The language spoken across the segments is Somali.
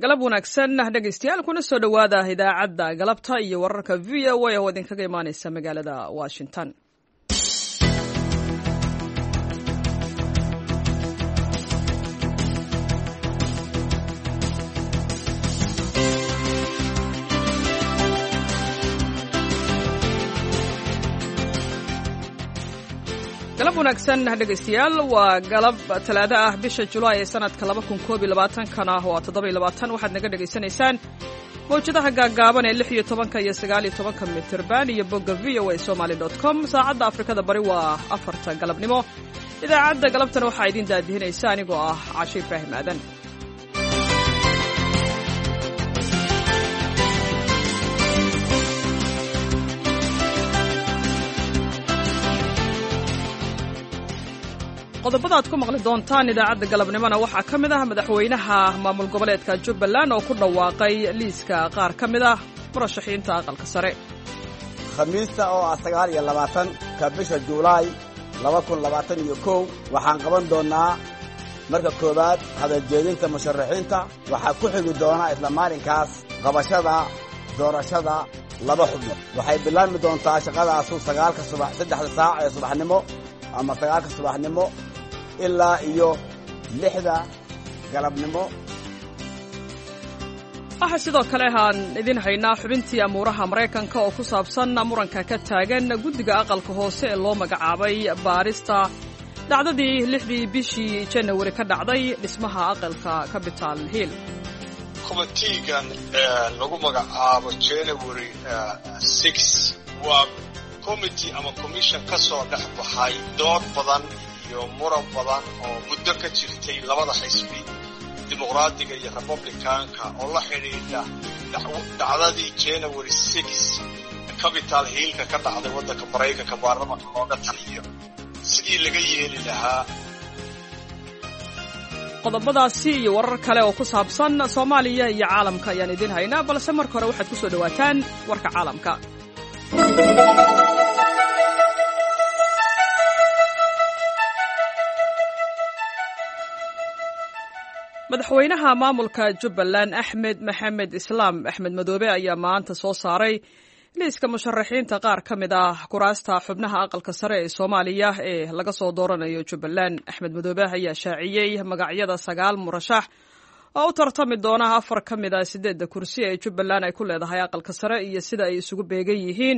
Galab wanaagsan, dhegaystayaal, kuna soo dhowaada idaacadda galabta iyo wararka VOA oo idinkaga imaaneysa magaalada Washington. Galab wanaagsan, dhegaystayaal. Waa galab Talaado ah, bisha Julaay ee sanadka 2021-kana waa 27. Waxaad naga dhegaysanaysaan mawjadaha gaaggaaban ee 16-ka iyo 19-ka mitirban iyo bogga voasomali.com. Saacadda Afrikada Bari waa 4-ta galabnimo. Idaacadda galabtana waxaa idiin daadihinaysa anigoo ah Cashe Ibraahim Aadan. Qodobada aad ku maqli doontaan idaacadda galabnimona waxaa ka mid ah madaxweynaha maamul goboleedka Jubbaland oo ku dhawaaqay liiska qaar ka mid ah murashaxiinta aqalka sare. Khamiista oo ah 29-ka bisha Juulaay 2021 waxaan qaban doonnaa marka koowaad hadaljeedinta musharaxiinta. Waxaa ku xigi doona isla maalinkaas qabashada doorashada laba xubnood. Waxay bilaabmi doontaa shaqadaasu 9-ka subax, 3-da saac ee subaxnimo ama 9-ka subaxnimo ilaa iyo 6-da galabnimo. Waxaa sidoo kale aan idin haynaa xubintii amuuraha Maraykanka oo ku saabsan muranka ka taagan guddiga aqalka hoose ee loo magacaabay baarista dhacdadii 6-dii bishii Janawari ka dhacday dhismaha aqalka Capital Hill. Committeegan lagu magacaabo January 6 waa committee ama commission ka soo dhex baxay dood badan iyo muran badan oo muddo ka jirtay labada xisbi, Dimuqraadiga iyo Republicanka, oo la xidhiidha dhacdadii January 6 Capital Hillka ka dhacday waddanka Maraykanka baarlamanka looga taliyo sidii laga yeeli lahaa. Qodobadaasi iyo warar kale oo ku saabsan Soomaaliya iyo caalamka ayaan idiin haynaa, balse marka hore waxaad ku soo dhowaataan warka caalamka. Madaxweynaha maamulka Jubbaland, Axmed Maxamed Islaam, Axmed Madoobe, ayaa maanta soo saaray liiska musharaxiinta qaar ka mid ah kuraasta xubnaha aqalka sare ee Soomaaliya ee laga soo dooranayo Jubbaland. Axmed Madoobe ayaa shaaciyey magacyada sagaal murashax oo u tartami doona afar ka mid ah sideedda kursi ee Jubbaland ay ku leedahay aqalka sare iyo sida ay isugu beegan yihiin.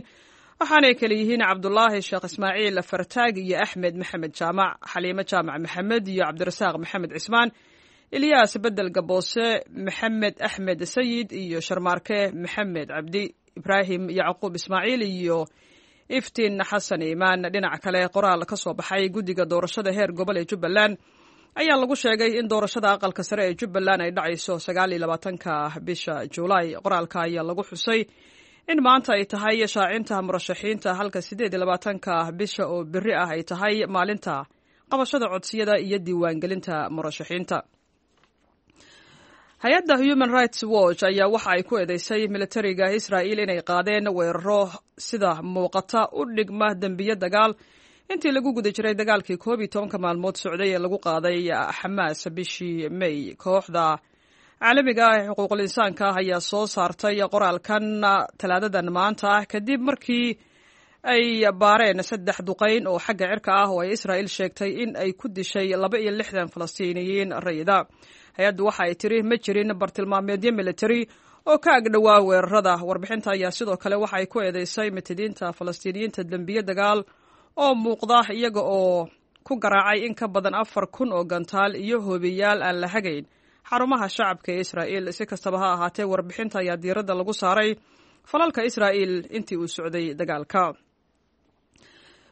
Waxaanay kale yihiin Cabdulaahi Sheekh Ismaaciil Fartaag iyo Axmed Maxamed Jaamac, Xaliimo Jaamac Maxamed iyo Cabdirasaaq Maxamed Cismaan, Ilyaas Bedel Gaboose, Maxamed Axmed Sayid iyo Sharmaarke Maxamed Cabdi, Ibraahim Yacquub Ismaaciil iyo Iftiin Xasan Iimaan. Dhinaca kale, qoraal ka soo baxay guddiga doorashada heer gobol ee Jubbaland ayaa lagu sheegay in doorashada aqalka sare ee Jubbaland ay dhacayso 29-ka bisha Juulaay. Qoraalka ayaa lagu xusay in maanta ay tahay shaacinta murashaxiinta, halka 28-ka bisha oo berri ah ay tahay maalinta qabashada codsiyada iyo diiwaangelinta murashaxiinta. Hay-adda Human Rights Watch ayaa waxa ay ku eedeysay militariga Israa'il inay qaadeen weeraro sida muuqata u dhigma dembiyo dagaal intii lagu guda jiray dagaalkii 11-ka maalmood socday ee lagu qaaday Xamaas bishii May. Kooxda caalamiga ah ee xuquuqul insaanka ah ayaa soo saartay qoraalkan Talaadadan maanta ah kadib markii ay baareen saddex duqayn oo xagga cirka ah oo ay Israa'il sheegtay in ay ku dishay 62 Falastiiniyiin rayida. Hay-addu waxa ay tiri ma jirin bartilmaameedyo militari oo ka agdhowaa weerarada. Warbixinta ayaa sidoo kale waxa ay ku eedeysay mitidiinta Falastiiniyiinta dembiye dagaal oo muuqda, iyaga oo ku garaacay in ka badan 4000 oo gantaal iyo hoobiyaal aan la hagayn xarumaha shacabka ee Israa'iil. Si kastaba ha ahaatee, warbixinta ayaa diiradda lagu saaray falalka Israa'iil intii uu socday dagaalka.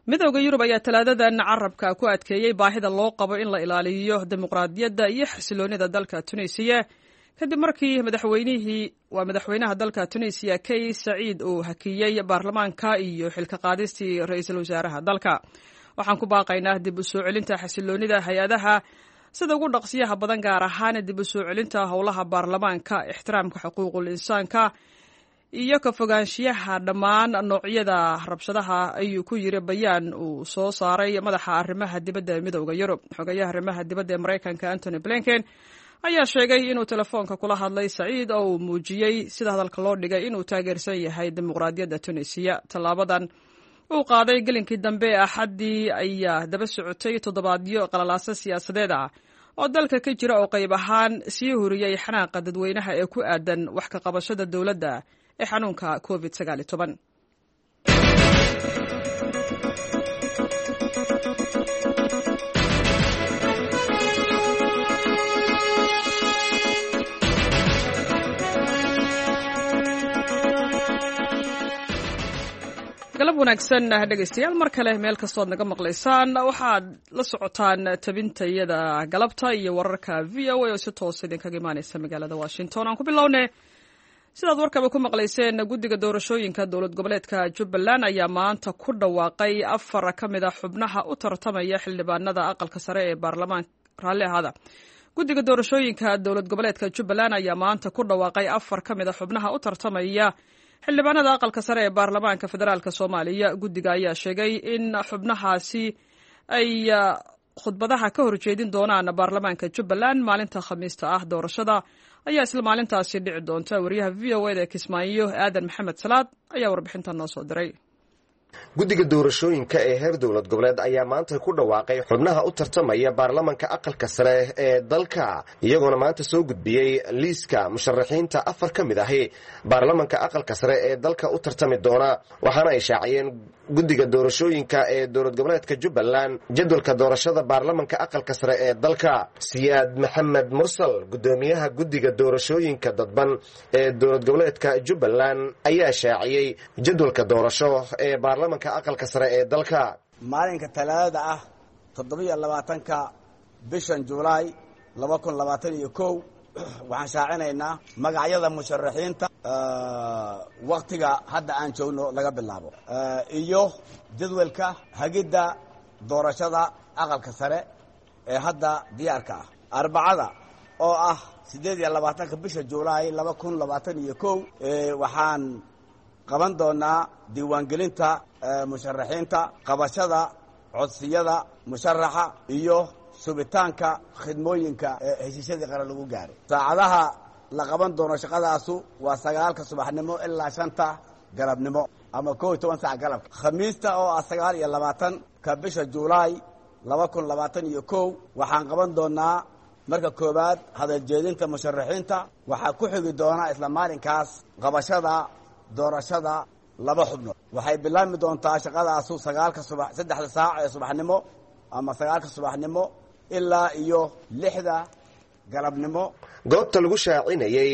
Midowda Yurub ayaa Talaadadan carabka ku adkeeyey baahida loo qabo in la ilaaliyo dimuqraadiyadda iyo xasiloonida dalka Tunisiya kadib markii madaxweynihii, waa madaxweynaha dalka Tunisiya, Kays Saciid, uu hakiyey baarlamaanka iyo xilka qaadistii ra-iisul wasaaraha dalka. "Waxaan ku baaqaynaa dib u soo celinta xasiloonida hay-adaha sida ugu dhaqsiyaha badan, gaar ahaan dib u soo celinta howlaha baarlamaanka, ixtiraamka xuquuqul insaanka iyo ka fogaanshiyaha dhammaan noocyada rabshadaha," ayuu ku yiri bayaan uu soo saaray madaxa arrimaha dibadda ee Midowda Yurub. Xogayaha arrimaha dibadda ee Maraykanka, Antony Blinken, ayaa sheegay inuu telefoonka kula hadlay Saciid oo uu muujiyey sida hadalka loo dhigay inuu taageersan yahay dimuqraadiyadda Tunisiya. Tallaabadan uu qaaday gelinkii dambe ee Axaddii ayaa daba socotay toddobaadyo qalalaasa siyaasadeed ah oo dalka ka jira oo qayb ahaan sii huriyey xanaaqa dadweynaha ee ku aadan wax ka qabashada dowladda ee xanuunka COVID 19. Galab wanaagsan dhegaystayaal, mar kale meel kastood naga maqlaysaan, waxaad la socotaan tabintayada galabta iyo wararka VOA oo si toos idinkaga imaaneysa magaalada Washington. Aan ku bilowne, sidaad warkaba ku maqlayseen, guddiga doorashooyinka dowlad goboleedka Jubbaland ayaa maanta ku dhawaaqay afar ka mid a xubnaha u tartamaya xildhibaanada aqalka sare ee baarlamaanka. Raalli ahaada. Guddiga doorashooyinka dowlad goboleedka Jubbaland ayaa maanta ku dhawaaqay afar ka mid a xubnaha u tartamaya xildhibaanada aqalka sare ee baarlamaanka federaalk Soomaaliya. Guddiga ayaa sheegay in xubnahaasi ay khudbadaha ka horjeedin doonaan baarlamaanka Jubbaland maalinta Khamiista ah. Doorashada ayaa isla maalintaasi dhici doonta. Wariyaha VOA da ee Kismaayo, Aadan Maxamed Salaad, ayaa warbixintan noo soo diray. Guddiga doorashooyinka ee heer dowlad goboleed ayaa maanta ku dhawaaqay xubnaha u tartamaya baarlamanka aqalka sare ee dalka, iyagoona maanta soo gudbiyey liiska musharaxiinta afar ka mid ahi baarlamanka aqalka sare ee dalka u tartami doona. Waxaana ay shaaciyeen guddiga doorashooyinka ee dowlad goboleedka Jubbaland jadwalka doorashada baarlamanka aqalka sare ee dalka. Siyaad Maxamed Mursal, guddoomiyaha guddiga doorashooyinka dadban ee dowlad goboleedka Jubbaland, ayaa shaaciyey jadwalka doorasho ee baarlamanka aqalka sare ee dalka. Maalinka Talaadada ah, 27-ka bishan Julaay 2021, waxaan shaacinaynaa magacyada musharaxiinta waktiga hadda aan joogno laga bilaabo iyo jadwalka hagidda doorashada aqalka sare ee hadda diyaarka ah. Arbacada oo ah 28-ka bisha Julaay 2021, waxaan qaban doonaa diiwaangelinta musharaxiinta, qabashada codsiyada musharaxa iyo subitaanka khidmooyinka heshiisyadii qaran lagu gaaray. Saacadaha la qaban doono shaqadaasu waa 9-ka subaxnimo ilaa 5-ta galabnimo ama 11 saac galabka. Khamiista oo ah 29-ka bisha Julaay 2021, waxaan qaban doonaa marka koowaad hadaljeedinta musharaxiinta. Waxaa ku xigi doona isla maalinkaas qabashada doorashada laba xubnood. Waxay bilaabmi doontaa shaqadaasu 9-ka subax, 3-da saac ee subaxnimo ama 9-ka subaxnimo ilaa iyo 6-da galabnimo. Goobta lagu shaacinayey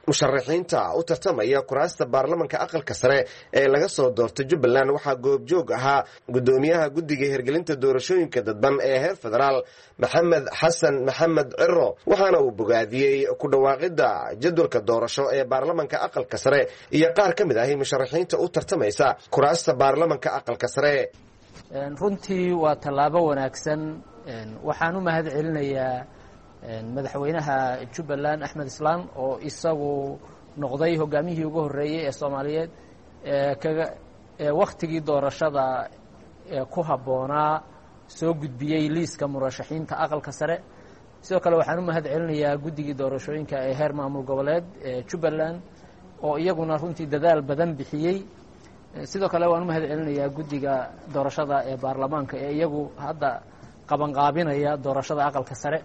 musharaxiinta u tartamaya kuraasta baarlamanka aqalka sare ee laga soo doortay Jubbaland waxaa goobjoog ahaa guddoomiyaha guddiga hirgelinta doorashooyinka dadban ee heer federaal, Maxamed Xasan Maxamed Ciro, waxaana uu bogaadiyey ku dhawaaqidda jadwalka doorasho ee baarlamanka aqalka sare iyo qaar ka mid ahi musharaxiinta u tartamaysa kuraasta baarlamanka aqalka sare. Runtii waa tallaabo wanaagsan. Waxaan u mahad celinayaa madaxweynaha Jubbaland, Axmed Islaan, oo isagu noqday hogaamiyihii ugu horreeyey ee Soomaaliyeed kaga wakhtigii doorashada ku habboonaa soo gudbiyey liiska murashaxiinta aqalka sare. Sidoo kale waxaan u mahad celinayaa guddigii doorashooyinka ee heer maamul goboleed ee Jubbaland oo iyaguna runtii dadaal badan bixiyey. Sidoo kale waan u mahad celinayaa guddiga doorashada ee baarlamaanka ee iyagu hadda qabanqaabinaya doorashada aqalka sare.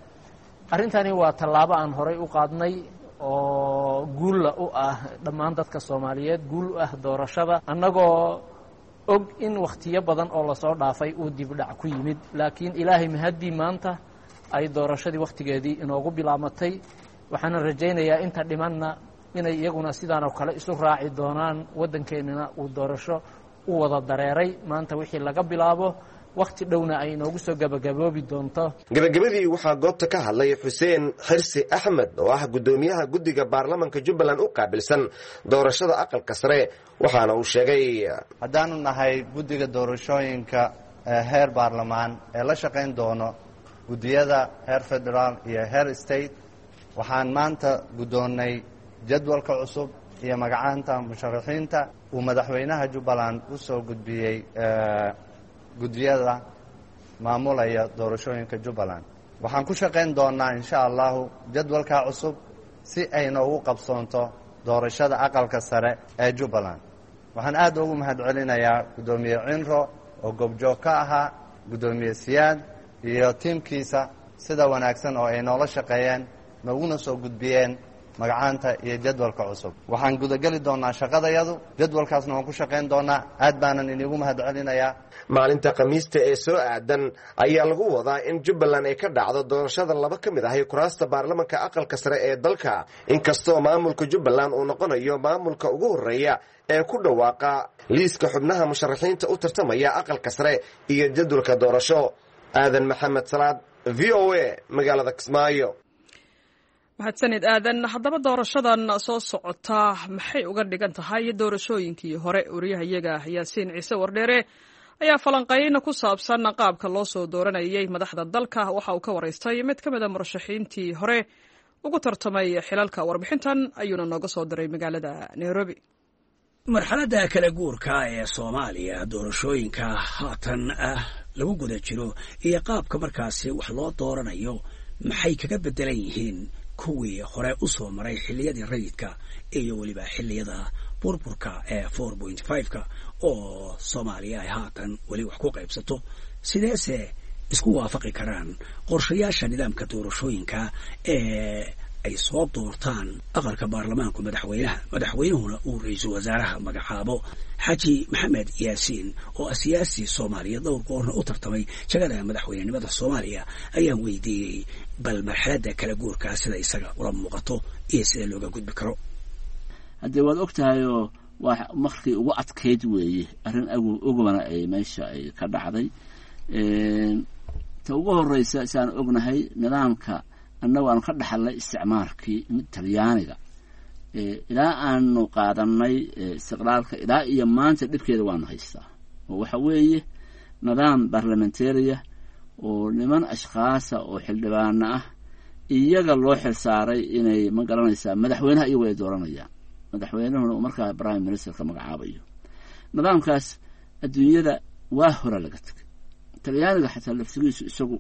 Arrintani waa tallaabo aan horay u qaadnay oo guulla u ah dhammaan dadka Soomaaliyeed, guul u ah doorashada, annagoo og in wakhtiyo badan oo lasoo dhaafay uu dibdhac ku yimid, laakiin Ilaahay mahaddii maanta ay doorashadii wakhtigeedii inoogu bilaamatay. Waxaana rajaynayaa inta dhimanna inay iyaguna sidaanoo kale isu raaci doonaan, waddankeennina uu doorasho u wada dareeray maanta wixii laga bilaabo, wakhti dhowna ay inoogu soo gabagaboobi doonto. Gabagabadii waxaa goobta ka hadlay Xuseen Xirsi Axmed oo ah guddoomiyaha guddiga baarlamanka Jubbaland u qaabilsan doorashada aqalka sare, waxaana uu sheegay: Haddaanu nahay guddiga doorashooyinka ee heer baarlamaan ee la shaqayn doono guddiyada heer federaal iyo heer state, waxaan maanta guddoonnay jadwalka cusub iyo magacaanta musharaxiinta uu madaxweynaha Jubbaland u soo gudbiyey guddiyada maamulaya doorashooyinka Jubbaland. Waxaan ku shaqayn doonnaa insha allahu jadwalkaa cusub si ay noogu qabsoonto doorashada aqalka sare ee Jubbaland. Waxaan aad ugu mahadcelinayaa guddoomiye Cinro oo goobjoog ka ahaa, guddoomiye Siyaad iyo tiimkiisa sida wanaagsan oo ay noola shaqeeyeen, nooguna soo gudbiyeen magacaanta iyo jadwalka cusub. Waxaan gudageli doonnaa shaqadayadu, jadwalkaasna waan ku shaqayn doonnaa. Aad baanan inigu mahadcelinayaa. Maalinta Khamiista ee soo aadan ayaa lagu wadaa in Jubbaland ay ka dhacdo doorashada laba ka mid ahi kuraasta baarlamanka aqalka sare ee dalka, inkastoo maamulka Jubbaland uu noqonayo maamulka ugu horreeya ee ku dhawaaqa liiska xubnaha musharaxiinta u tartamaya aqalka sare iyo jadwalka doorasho. Aadan Maxamed Salaad, V O A, magaalada Kismaayo. Mahadsanid, Aadan. Haddaba doorashadan soo socota maxay uga dhigan tahay doorashooyinkii hore? Wariyahayaga Yaasiin Ciise Wardheere ayaa falanqayn ku saabsan qaabka loo soo dooranayay madaxda dalka waxa uu ka waraystay mid ka mid a murashaxiintii hore ugu tartamay xilalka. Warbixintan ayuuna nooga soo diray magaalada Nairobi. Marxaladda kala guurka ee Soomaaliya, doorashooyinka haatan ah lagu guda jiro iyo qaabka markaasi wax loo dooranayo maxay kaga beddelan yihiin kuwii hore u soo maray xilliyadii rayidka iyo weliba xilliyada burburka ee 4.5-ka oo Soomaaliya ay haatan weli wax ku qaybsato? Sideese isku waafaqi karaan qorshayaasha nidaamka doorashooyinka ee ay soo doortaan aqalka baarlamaanku madaxweynaha, madaxweynuhuna uu ra-iisul wasaaraha magacaabo? Xaaji Maxamed Yaasiin oo ah siyaasi Soomaaliya, dhowr goorna u tartamay jagada madaxweynenimada Soomaaliya, ayaan weydiiyey bal marxaladda kala guurkaa sida isaga ula muuqato iyo sida looga gudbi karo. Haddee waad og tahayoo waa markii ugu adkayd weeye, arrin ogobana ay meesha ay ka dhacday. Ta ugu horeysa, siaan ognahay, nidaamka annagu aanu ka dhaxalnay isticmaarkii Talyaaniga ilaa aanu qaadanay istiqlaalka ilaa iyo maanta dhibkeeda waanu haystaa, oo waxa weeye nidaam barlamentaria oo niman ashkhaasa oo xildhibaano ah iyaga loo xil saaray inay, ma garanaysaa, madaxweynaha iyagu ay dooranayaan, madaxweynuhuna uu markaa prime ministerka magacaabayo. Nidaamkaas adduunyada waa hore laga tegay. Talyaaniga xataa laftigiisu isagu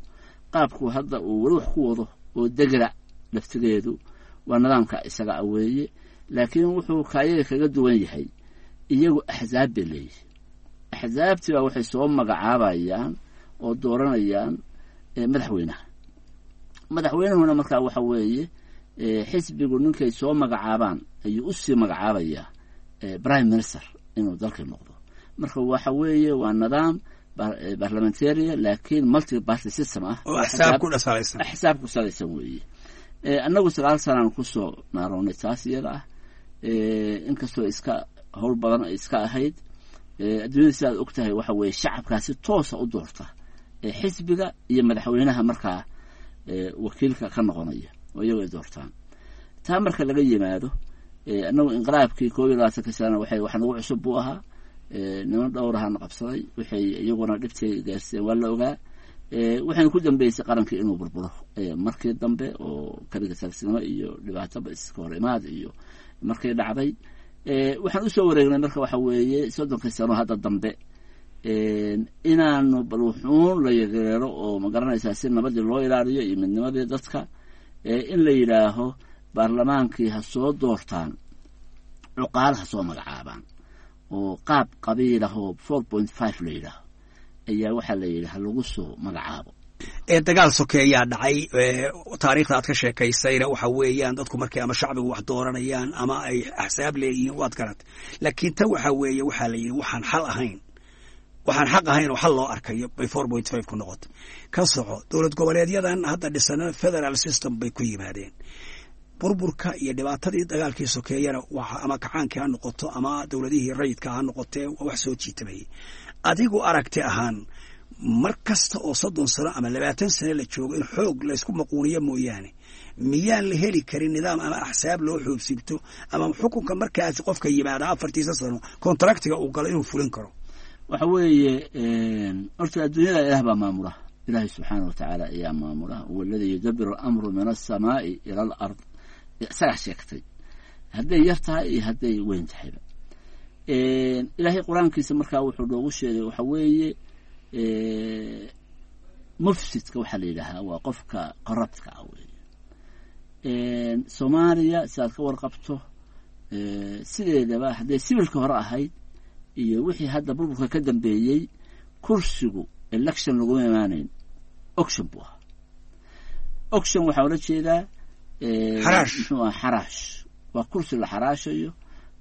qaabku hadda uu weli wax ku wado oo degra laftigeedu waa nidaamka isaga a weeye, laakiin wuxuu kaayaga kaga duwan yahay iyagu axsaab bay leeyihin. Axsaabtii baa waxay soo magacaabayaan oo dooranayaan madaxweynaha. Madaxweynuhuna markaa waxa weeye xisbigu ninkay soo magacaabaan ayuu usii magacaabayaa prime minister inuu dalka noqdo. Marka waxa weeye waa nidaam barlamentaria laakiin multi party system ah. Oo axsaab ku dhasalaysan. Axsaab ku salaysan weeye. Annagu 9 sanaan kusoo naarownay taas iyada ah, inkastoo iska howl badan ay iska ahayd. Adduunyada sidaad og tahay waxa weeye shacabkaa si toosa u doorta xisbiga iyo madaxweynaha markaa wakiilka ka noqonaya oo iyagu ay doortaan. Taa marka laga yimaado, annagu inqilaabkii 21-ka sana waxay wax nagu cusub buu ahaa. Niman dhowrahana qabsaday, waxay iyaguna dhibtay gaarsiiyeen waa la ogaa. Waxayna ku dambeysay qarankii inuu burburo markii dambe oo kaliga tagsinimo iyo dhibaatoba iska hor imaad iyo markay dhacday. Waxaan usoo wareegnay marka waxa weeye 30-kii sano hadda dambe inaanu bal wuxuun la yareero oo, ma garanaysaa, si nabadii loo ilaaliyo iyo midnimadii dadka, in la yidhaaho baarlamaankii ha soo doortaan, cuqaal ha soo magacaabaan oo qaab qabiilahoo 4.5 la yidhaaho ayaa waxaa la yidhi ha lagu soo magacaabo. Dagaal sokeeyaa dhacay. Taariikhda aad ka sheekaysayna waxa weeyaan dadku markay ama shacbigu wax dooranayaan ama ay axsaab leeyihiin, waad garat. Laakiin tan waxa weeye waxaa la yidhi waxaan xal ahayn, waxaan xaq ahayn oo xal loo arkayo bay 4.5 ku noqotay. Ka soco, dowlad goboleedyadan hadda dhisana federal system bay ku yimaadeen. Burburka iyo dhibaatadii dagaalkii sokeeyana ama kacaankii ha noqoto ama dowladihii rayidka ha noqotee, waa wax soo jiitamayay. Adigu aragti ahaan, mar kasta oo 30 sano ama 20 sano la joogo in xoog laysku maquuniyo mooyaane, miyaan la heli karin nidaam ama axsaab loo xoobsiibto ama xukunka markaasi qofka yimaada afartiisa sano contractiga uu galo inuu fulin karo? Waxa weeye horta adduunyada Ilaah baa maamula. Ilaahay subxaana wa tacaala ayaa maamula. Huwa alladii yudabiru alamru min alsamaai ila alard, isagaa sheegtay hadday yar tahay iyo hadday weyn tahayba. Ilaahay Qur-aankiisa markaa wuxuu noogu sheegay waxa weeye Mufsidka waxaa la yidhaahaa waa qofka corruptka ah weeye. Soomaaliya sidaad ka warqabto sideedaba hadday sibilka hore ahayd iyo wixii hadda burburka ka dambeeyey, kursigu election laguma imaanayn, auction buu ahaa. Auction waxaa ula jeedaa xaraash. Muxuu aha? Xaraash. Waa kursi la xaraashayo.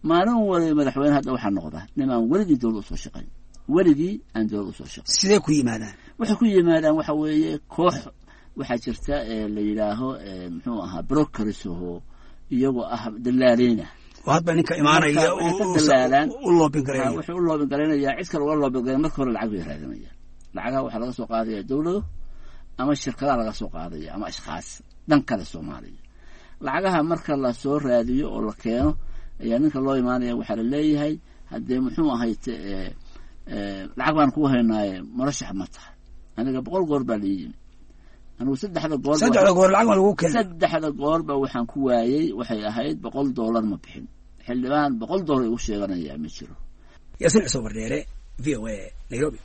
Maalin waliba madaxweyne hadda waxaa noqda nimaan weligii dowlad usoo shaqayn, weligii aan dowlad usoo shaqayn. Sidee ku yimaadaan? Waxay ku yimaadaan waxa weeye koox waxaa jirta la yidhaaho muxuu ahaa brokers oo iyagoo ah dalaaliina. Oo hadba ninka imaanaya waxay ka dalaalaan u loobin gareeya. Wuxuu u loobin garaynayaa, cid kale uga loobin garay. Marka hore lacag bay raadinayaan. Lacagaha waxaa laga soo qaadaya dowlado ama shirkadaha laga soo qaadaya ama ashkhaas dhan kale Soomaaliya. Lacagaha marka lasoo raadiyo oo la keeno ayaa ninka loo imaanaya, waxaa la leeyahay haddee muxuu ahayd lacag baan kuu haynaaye murashax ma tahay? Aniga 100 goor baa la yimi. Anigu saddexda goor Saddexda goor lacag baa lagu keenay? Saddexda goorba waxaan ku waayey waxay ahayd $100 ma bixin. Xildhibaan $100 igu sheeganayaa ma jiro. Yaasiin Cusub Wardheere, VOA, Nairobi.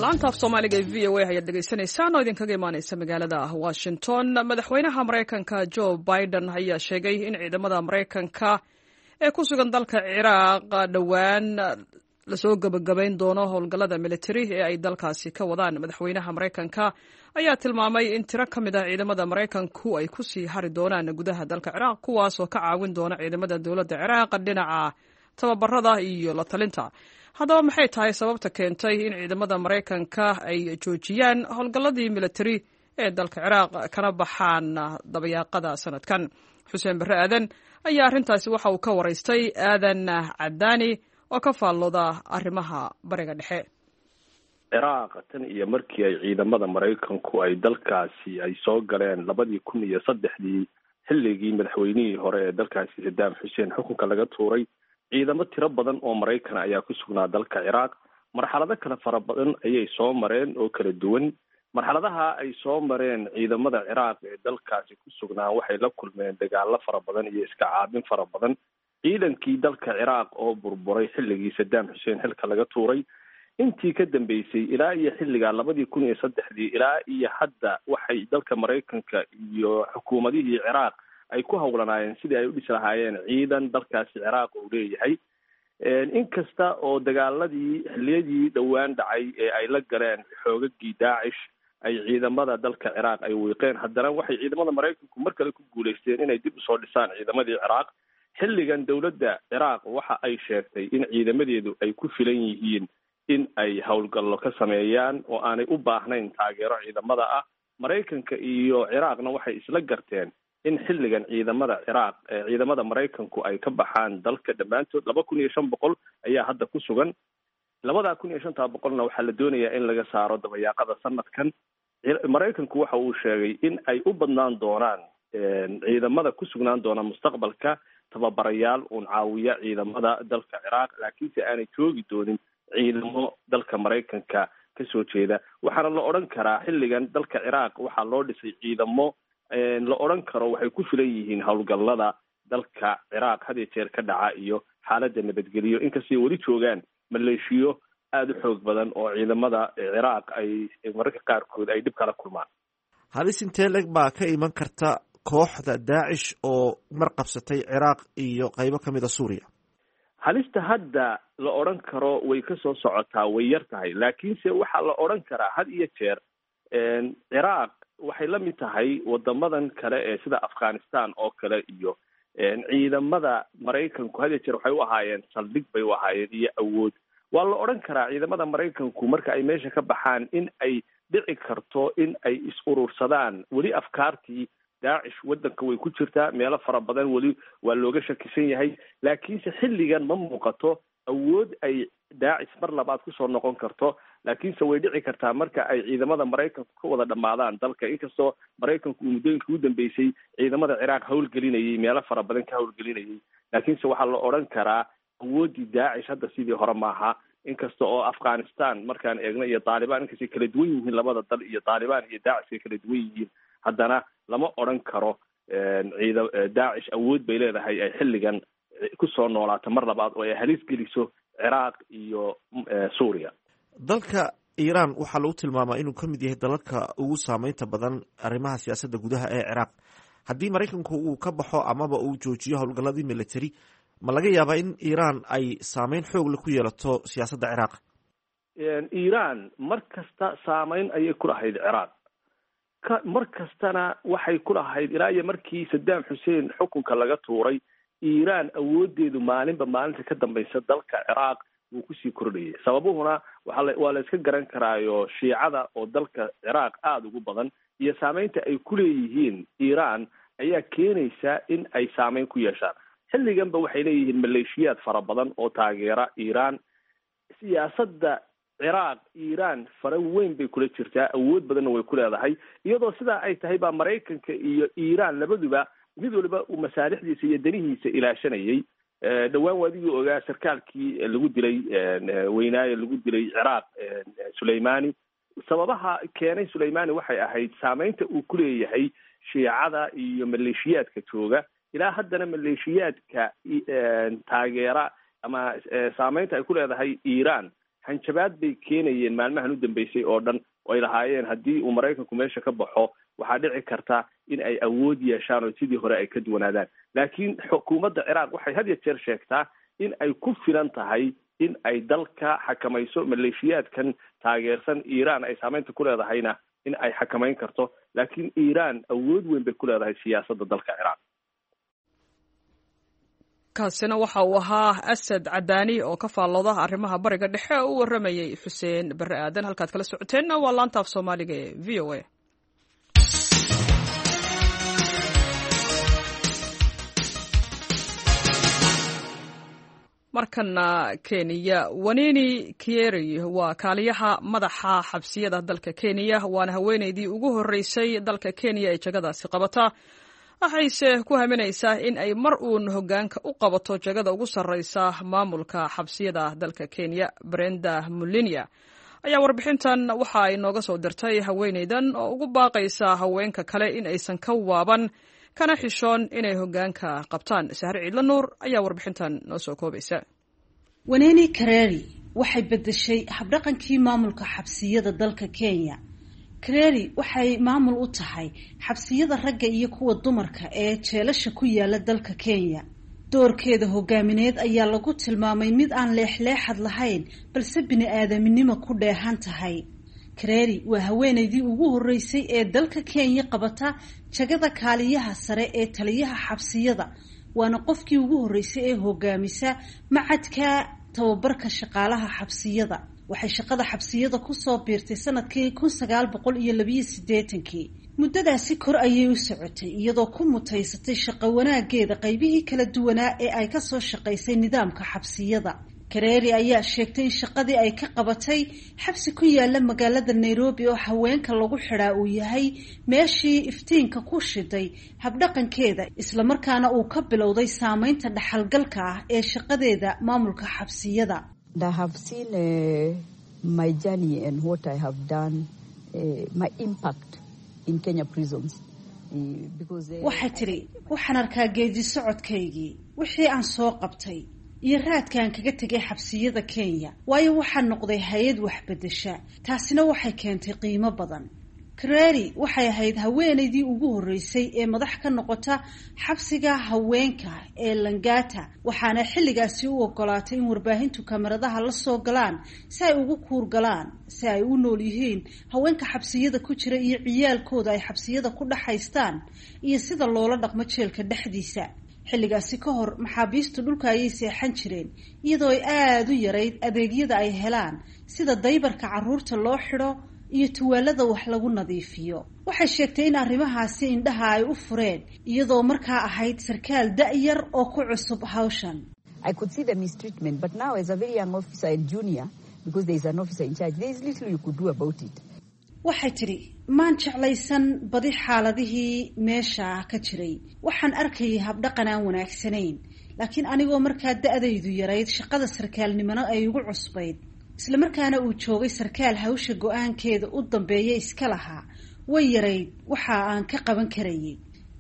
Laanta af Soomaaliga ee VOA ayaad dhegaysanaysaan oo idinkaga imaaneysa magaalada Washington. Madaxweynaha Maraykanka Joe Biden ayaa sheegay in ciidamada Maraykanka ee ku sugan dalka Ciraaq dhowaan lasoo gebagabayn doono howlgallada militari ee ay dalkaasi ka wadaan. Madaxweynaha Maraykanka ayaa tilmaamay in tiro ka mid ah ciidamada Maraykanku ay kusii hari doonaan gudaha dalka Ciraaq, kuwaas oo ka caawin doona ciidamada dowladda Ciraaq dhinaca tababarada iyo la talinta. Haddaba maxay tahay sababta keentay in ciidamada Maraykanka ay joojiyaan howlgalladii militari ee dalka Ciraaq kana baxaan dabayaaqada sanadkan? Xuseen Barre Aadan ayaa arrintaasi waxa uu ka waraystay Aadan Cadaani oo ka faallooda arrimaha Bariga Dhexe. Ciraaq tan iyo markii ay ciidamada Maraykanku ay dalkaasi ay soo galeen 2003-dii, xilligii madaxweynihii hore ee dalkaasi Saddam Xuseen xukunka laga tuuray, ciidamo tiro badan oo Maraykan ayaa ku sugnaa dalka Ciraaq. Marxalado kale fara badan ayay soo mareen oo kala duwan. Marxaladaha ay soo mareen ciidamada Ciraaq ee dalkaasi ku sugnaa, waxay la kulmeen dagaalo fara badan iyo iska caabin fara badan. Ciidankii dalka Ciraaq oo burburay xilligii Saddam Xuseen xilka laga tuuray intii ka dambeysay ilaa iyo xilligaa 2003-dii ilaa iyo hadda, waxay dalka Maraykanka iyo xukuumadihii Ciraaq ay ku howlanaayeen sidii ay u dhisi lahaayeen ciidan dalkaasi Ciraaq uu leeyahay. Inkasta oo dagaaladii xilliyadii dhowaan dhacay ee ay la galeen xoogagii Daacish ay ciidamada dalka Ciraaq ay wiiqeen, haddana waxay ciidamada Maraykanku mar kale ku guulaysteen inay dib usoo dhisaan ciidamadii Ciraaq. Xilligan dowladda Ciraaq waxa ay sheegtay in ciidamadeedu ay ku filan yihiin in ay howlgallo ka sameeyaan oo aanay u baahnayn taageero ciidamada ah. Maraykanka iyo Ciraaqna waxay isla garteen in xilligan ciidamada Ciraaq, ciidamada Maraykanku ay ka baxaan dalka dhammaantood. 2500 ayaa hadda ku sugan. 2500-na waxaa la doonayaa in laga saaro dabayaaqada sanadkan. Maraykanku waxa uu sheegay in ay u badnaan doonaan ciidamada ku sugnaan doona mustaqbalka tababarayaal uun caawiya ciidamada dalka Ciraaq, laakiinse aanay joogi doonin ciidamo dalka Maraykanka kasoo jeeda. Waxaana la odhan karaa xilligan dalka Ciraaq waxaa loo dhisay ciidamo la odhan karo waxay ku filan yihiin howlgallada dalka Ciraaq had iyo jeer ka dhaca iyo xaaladda nabadgeliyo, inkastay weli joogaan maleeshiyo aada u xoog badan oo ciidamada Ciraaq ay mararka qaarkood ay dhib kala kulmaan. Halis intee leg baa ka iman karta kooxda Daacish oo mar qabsatay Ciraaq iyo qaybo ka mid a Suuriya? Halista hadda la odhan karo way kasoo socotaa way yar tahay, laakiinse waxaa la odhan karaa had iyo jeer Ciraaq waxay la mid tahay wadamadan kale ee sida Afghanistan oo kale, iyo ciidamada Maraykanku had iyo jeer waxay u ahaayeen saldhig bay u ahaayeen iyo awood. Waa la odhan karaa ciidamada Maraykanku marka ay meesha ka baxaan in ay dhici karto in ay is-urursadaan. Weli afkaartii Daacish waddanka way ku jirtaa, meelo fara badan weli waa looga shakisan yahay, laakiinse xilligan ma muuqato awood ay Daacish mar labaad kusoo noqon karto. Laakiinse way dhici kartaa marka ay ciidamada Maraykanku ka wada dhammaadaan dalka, inkastoo Maraykanku uu muddooyinka ugu dambeysay ciidamada Ciraaq howlgelinayay, meelo fara badan ka howlgelinayay, laakiinse waxaa la odhan karaa awooddii Daacish hadda sidii hore maaha. Inkasta oo Afghanistan markaan eegno iyo Taalibaan inkastay kala duwan yihiin labada dal, iyo Taalibaan iyo Daacish ay kala duwan yihiin, haddana lama odran karo ciida Daacish awood bay leedahay ay xilligan kusoo noolaato mar labaad oo ay halis geliso Ciraaq iyo Suuriya. Dalka Iiraan waxaa lagu tilmaamaa inuu ka mid yahay dalalka ugu saameynta badan arrimaha siyaasadda gudaha ee Ciraaq. Haddii Maraykanku uu ka baxo amaba uu joojiyo howlgalladii military, ma laga yaabaa in Iiraan ay saameyn xoog leh ku yeelato siyaasadda Ciraaq? Iiraan mar kasta saameyn ayay ku lahayd Ciraaq, ka mar kastana waxay ku lahayd ilaa iyo markii Saddam Xuseen xukunka laga tuuray. Iiraan awoodeedu maalinba maalinta ka dambaysa dalka Ciraaq wuu kusii kordhayay. Sababuhuna waa la iska garan karaayo, Shiicada oo dalka Ciraaq aada ugu badan iyo saameynta ay ku leeyihiin Iiraan ayaa keenaysa in ay saameyn ku yeeshaan. Xilliganba waxay leeyihiin maleeshiyaad fara badan oo taageera Iiraan. Siyaasadda Ciraaq Iiraan fara weyn bay kula jirtaa, awood badanna way ku leedahay. Iyadoo sidaa ay tahay baa Maraykanka iyo Iiraan labaduba mid waliba uu masaalixdiisa iyo danihiisa ilaashanayay. Dhowaan waadigii ogaa sarkaalkii lagu dilay weynaaye lagu dilay Ciraaq, Suleimani. Sababaha keenay Suleimani waxay ahayd saameynta uu ku leeyahay Shiicada iyo maleeshiyaadka jooga. Ilaa haddana maleeshiyaadka taageera ama saameynta ay ku leedahay Iiraan hanjabaad bay keenayeen maalmahan u dambeysay oo dhan, oo ay lahaayeen haddii uu Maraykanku meesha ka baxo waxaa dhici karta in ay awood yeeshaan oo sidii hore ay ka duwanaadaan. Laakiin xukuumadda Ciraaq waxay had iyo jeer sheegtaa in ay ku filan tahay in ay dalka xakamayso, maleeshiyaadkan taageersan Iiraan ay saameynta ku leedahayna in ay xakamayn karto. Laakiin Iiraan awood weyn bay ku leedahay siyaasadda dalka Ciraaq. Kaasina waxa uu ahaa Asad Cadaani oo ka faallooda arrimaha Bariga Dhexe oo u warramayay Xuseen Barre Aadan. Halkaad kala socoteenna waa laanta af Soomaaliga ee VOA. Markana Kenya. Wanini Kieri waa kaaliyaha madaxa xabsiyada dalka Kenya, waana haweeneydii ugu horreysay dalka Kenya ee jagadaasi qabata. Waxayse ku haminaysaa in ay mar uun hoggaanka u qabato jagada ugu sarreysa maamulka xabsiyada dalka Kenya. Brenda Mulinia ayaa warbixintan waxa ay nooga soo dirtay haweeneydan oo ugu baaqaysa haweenka kale in aysan ka waaban kana xishoon inay hoggaanka qabtaan. Sahre Ciidla Nuur ayaa warbixintan noo soo koobaysa. Waneni Kareri waxay beddeshay habdhaqankii maamulka xabsiyada dalka Kenya. Kareri waxay maamul u tahay xabsiyada ragga iyo kuwa dumarka ee jeelasha ku yaala dalka Kenya. Doorkeeda hogaamineed ayaa lagu tilmaamay mid aan leexleexad lahayn, balse bini-aadaminimo ku dheehan tahay. Kareri waa haweeneydii ugu horreysay ee dalka Kenya qabata jagada kaaliyaha sare ee taliyaha xabsiyada, waana qofkii ugu horreysay ee hogaamisa macadka tababarka shaqaalaha xabsiyada. Waxay shaqada xabsiyada kusoo biirtay sanadkii 1982-kii. Muddadaasi kor ayay u socotay, iyadoo ku mutaysatay shaqo wanaageeda qaybihii kala duwanaa ee ay kasoo shaqaysay nidaamka xabsiyada. Kareeri ayaa sheegtay in shaqadii ay ka qabatay xabsi ku yaala magaalada Nairobi oo haweenka lagu xidhaa uu yahay meeshii iftiinka ku shiday habdhaqankeeda, islamarkaana uu ka bilowday saameynta dhaxalgalka ah ee shaqadeeda maamulka xabsiyada. I have seen my journey and what I have done, my impact in Kenya prisons. Waxay tidhi, waxaan arkaa geedi socodkaygii, wixii aan soo qabtay iyo raadkaan kaga tegay xabsiyada Kenya, waayo waxaan noqday hay-ad waxbedesha, taasina waxay keentay qiimo badan. Kareri waxay ahayd haweeneydii ugu horreysay ee madax ka noqota xabsiga haweenka ee Langata, waxaana xilligaasi u ogolaatay in warbaahintu kamaradaha la soo galaan si ay ugu kuurgalaan si ay u nool yihiin haweenka xabsiyada ku jira iyo ciyaalkooda ay xabsiyada ku dhexaystaan iyo sida loola dhaqmo jeelka dhexdiisa. Xilligaasi ka hor maxaabiistu dhulka ayay seexan jireen, iyadoo ay aada u yarayd adeegyada ay helaan sida daybarka carruurta loo xidho iyo tuwaalada wax lagu nadiifiyo. Waxay sheegtay in arrimahaasi indhaha ay u fureen, iyadoo markaa ahayd sarkaal da-yar oo ku cusub hawshan. I could see the mistreatment, but now as a very young officer and junior, because there is an officer in charge, there is little you could do about it. Waxay tidhi, maan jeclaysan badi xaaladihii meesha ka jiray. Waxaan arkayay habdhaqan aan wanaagsanayn, laakiin anigoo markaa da-daydu yarayd, shaqada sarkaalnimona ay igu cusbayd, Islamarkaana uu joogay sarkaal hawsha go-aankeeda u dambeeya iska lahaa, way yarayd waxa aan ka qaban karayay.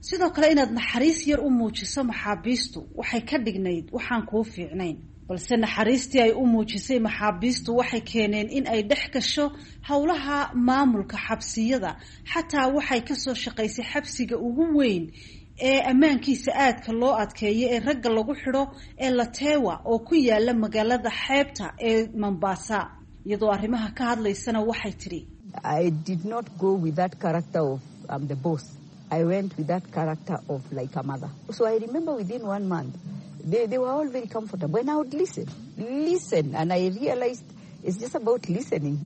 Sidoo kale inaad naxariis yar u muujiso maxaabiistu waxay ka dhignayd waxaan kuu fiicnayn. Balse naxariistii ay u muujisay maxaabiistu waxay keeneen in ay dhex gasho howlaha maamulka xabsiyada. Xataa waxay kasoo shaqaysay xabsiga ugu weyn ee ammaankiisa aadka loo adkeeyo ee ragga lagu xidho ee Latewa oo ku yaala magaalada xeebta ee Mombasa. Iyadoo arrimaha ka hadlaysana waxay tidhi: I did not go with that character of I'm the boss. I went with that character of like a mother. So I remember within one month, they were all very comfortable. And I would listen, listen. And I realized it's just about listening.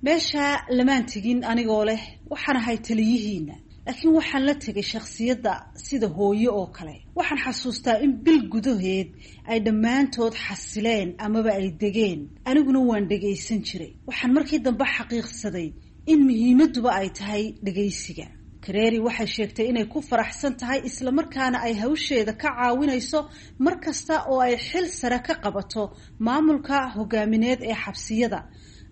Meesha lamaan tegin anigoo leh waxaan ahay taliyihiina, laakiin waxaan la tegay shakhsiyadda sida hooyo oo kale. Waxaan xasuustaa in bil gudaheed ay dhammaantood xasileen amaba ay degeen, aniguna waan dhegaysan jiray. Waxaan markii dambe xaqiiqsaday in muhiimadduba ay tahay dhegaysiga. Kareeri waxay sheegtay inay ku faraxsan tahay islamarkaana ay hawsheeda ka caawinayso mar kasta oo ay xil sare ka qabato maamulka hogaamineed ee xabsiyada.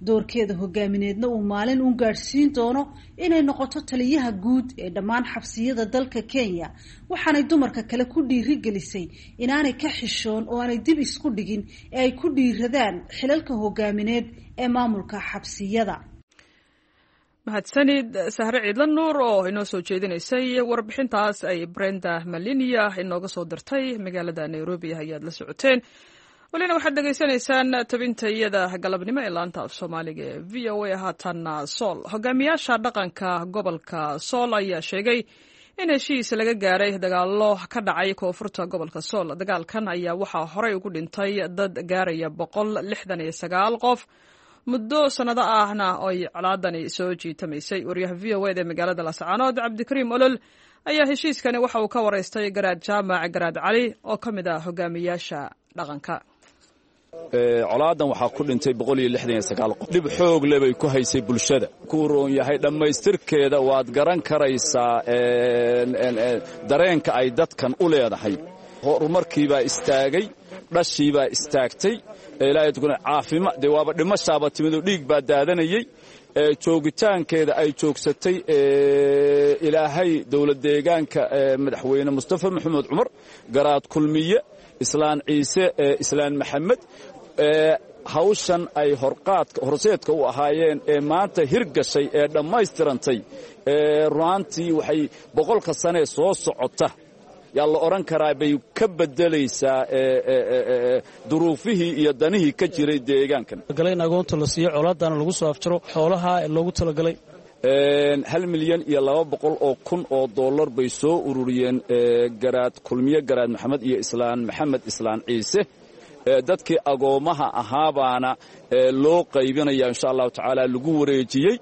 Doorkeeda hogaamineedna uu maalin uun gaadhsiin doono inay noqoto taliyaha guud ee dhammaan xabsiyada dalka Kenya. Waxaanay dumarka kale ku dhiirigelisay inaanay ka xishoon oo aanay dib isku dhigin ee ay ku dhiiradaan xilalka hogaamineed ee maamulka xabsiyada. Mahadsanid Sahre Ciidla Nuur oo inoo soo jeedinaysay warbixintaas ay Brenda Malinia inooga soo dirtay magaalada Nairobi ayaad la socoteen. Welina waxaad dhegaysanaysaan tabinta iyada galabnimo ee laanta af Soomaaliga ee VOA. Haatanna Sool. Hogaamiyaasha dhaqanka gobolka Sool ayaa sheegay in heshiis laga gaaray dagaallo ka dhacay koonfurta gobolka Sool. Dagaalkan ayaa waxaa horey ugu dhintay dad gaaraya 169 qof, muddo sannado ahna ay colaadani soo jiitamaysay. Wariyaha VOA da ee magaalada Laascaanood, Cabdikariim Olol, ayaa heshiiskani waxa uu ka waraystay Garaad Jaamac Garaad Cali oo ka mid ah hogaamiyaasha dhaqanka. Colaadan waxaa ku dhintay qof. Dhib xoog le bay ku haysay bulshada. Kuu roon yahay dhammaystirkeeda waad garan karaysaa dareenka ay dadkan u leedahay. Horumarkiibaa istaagay, dhashiibaa istaagtay, caafima dee waaba dhimashaaba timidoo dhiig baa daadanayey. Joogitaankeeda ay joogsatay ilaahay dowlad deegaanka madaxweyne Mustafa Maxamed Cumar, Garaad Kulmiye, Islaan Ciise, Islaan Maxamed, hawshan ay horqaadka horseedka u ahaayeen ee maanta hirgashay ee dhammaystirantay, runaantii waxay 100-ka sanee soo socota yaa la odhan karaa bay ka beddelaysaa duruufihii iyo danihii ka jiray deegaankan. In agoonta la siiyo, colaadana lagu soo afjaro, xoolaha loogu talagalay. 1,200,000 oo dollar bay soo ururiyeen Garaad Kulmiye, Garaad Maxamed iyo Islaan Maxamed, Islaan Ciise. Dadkii agoommaha ahaabaana loo qaybinaya insha Allahu tacaala lagu wareejiyey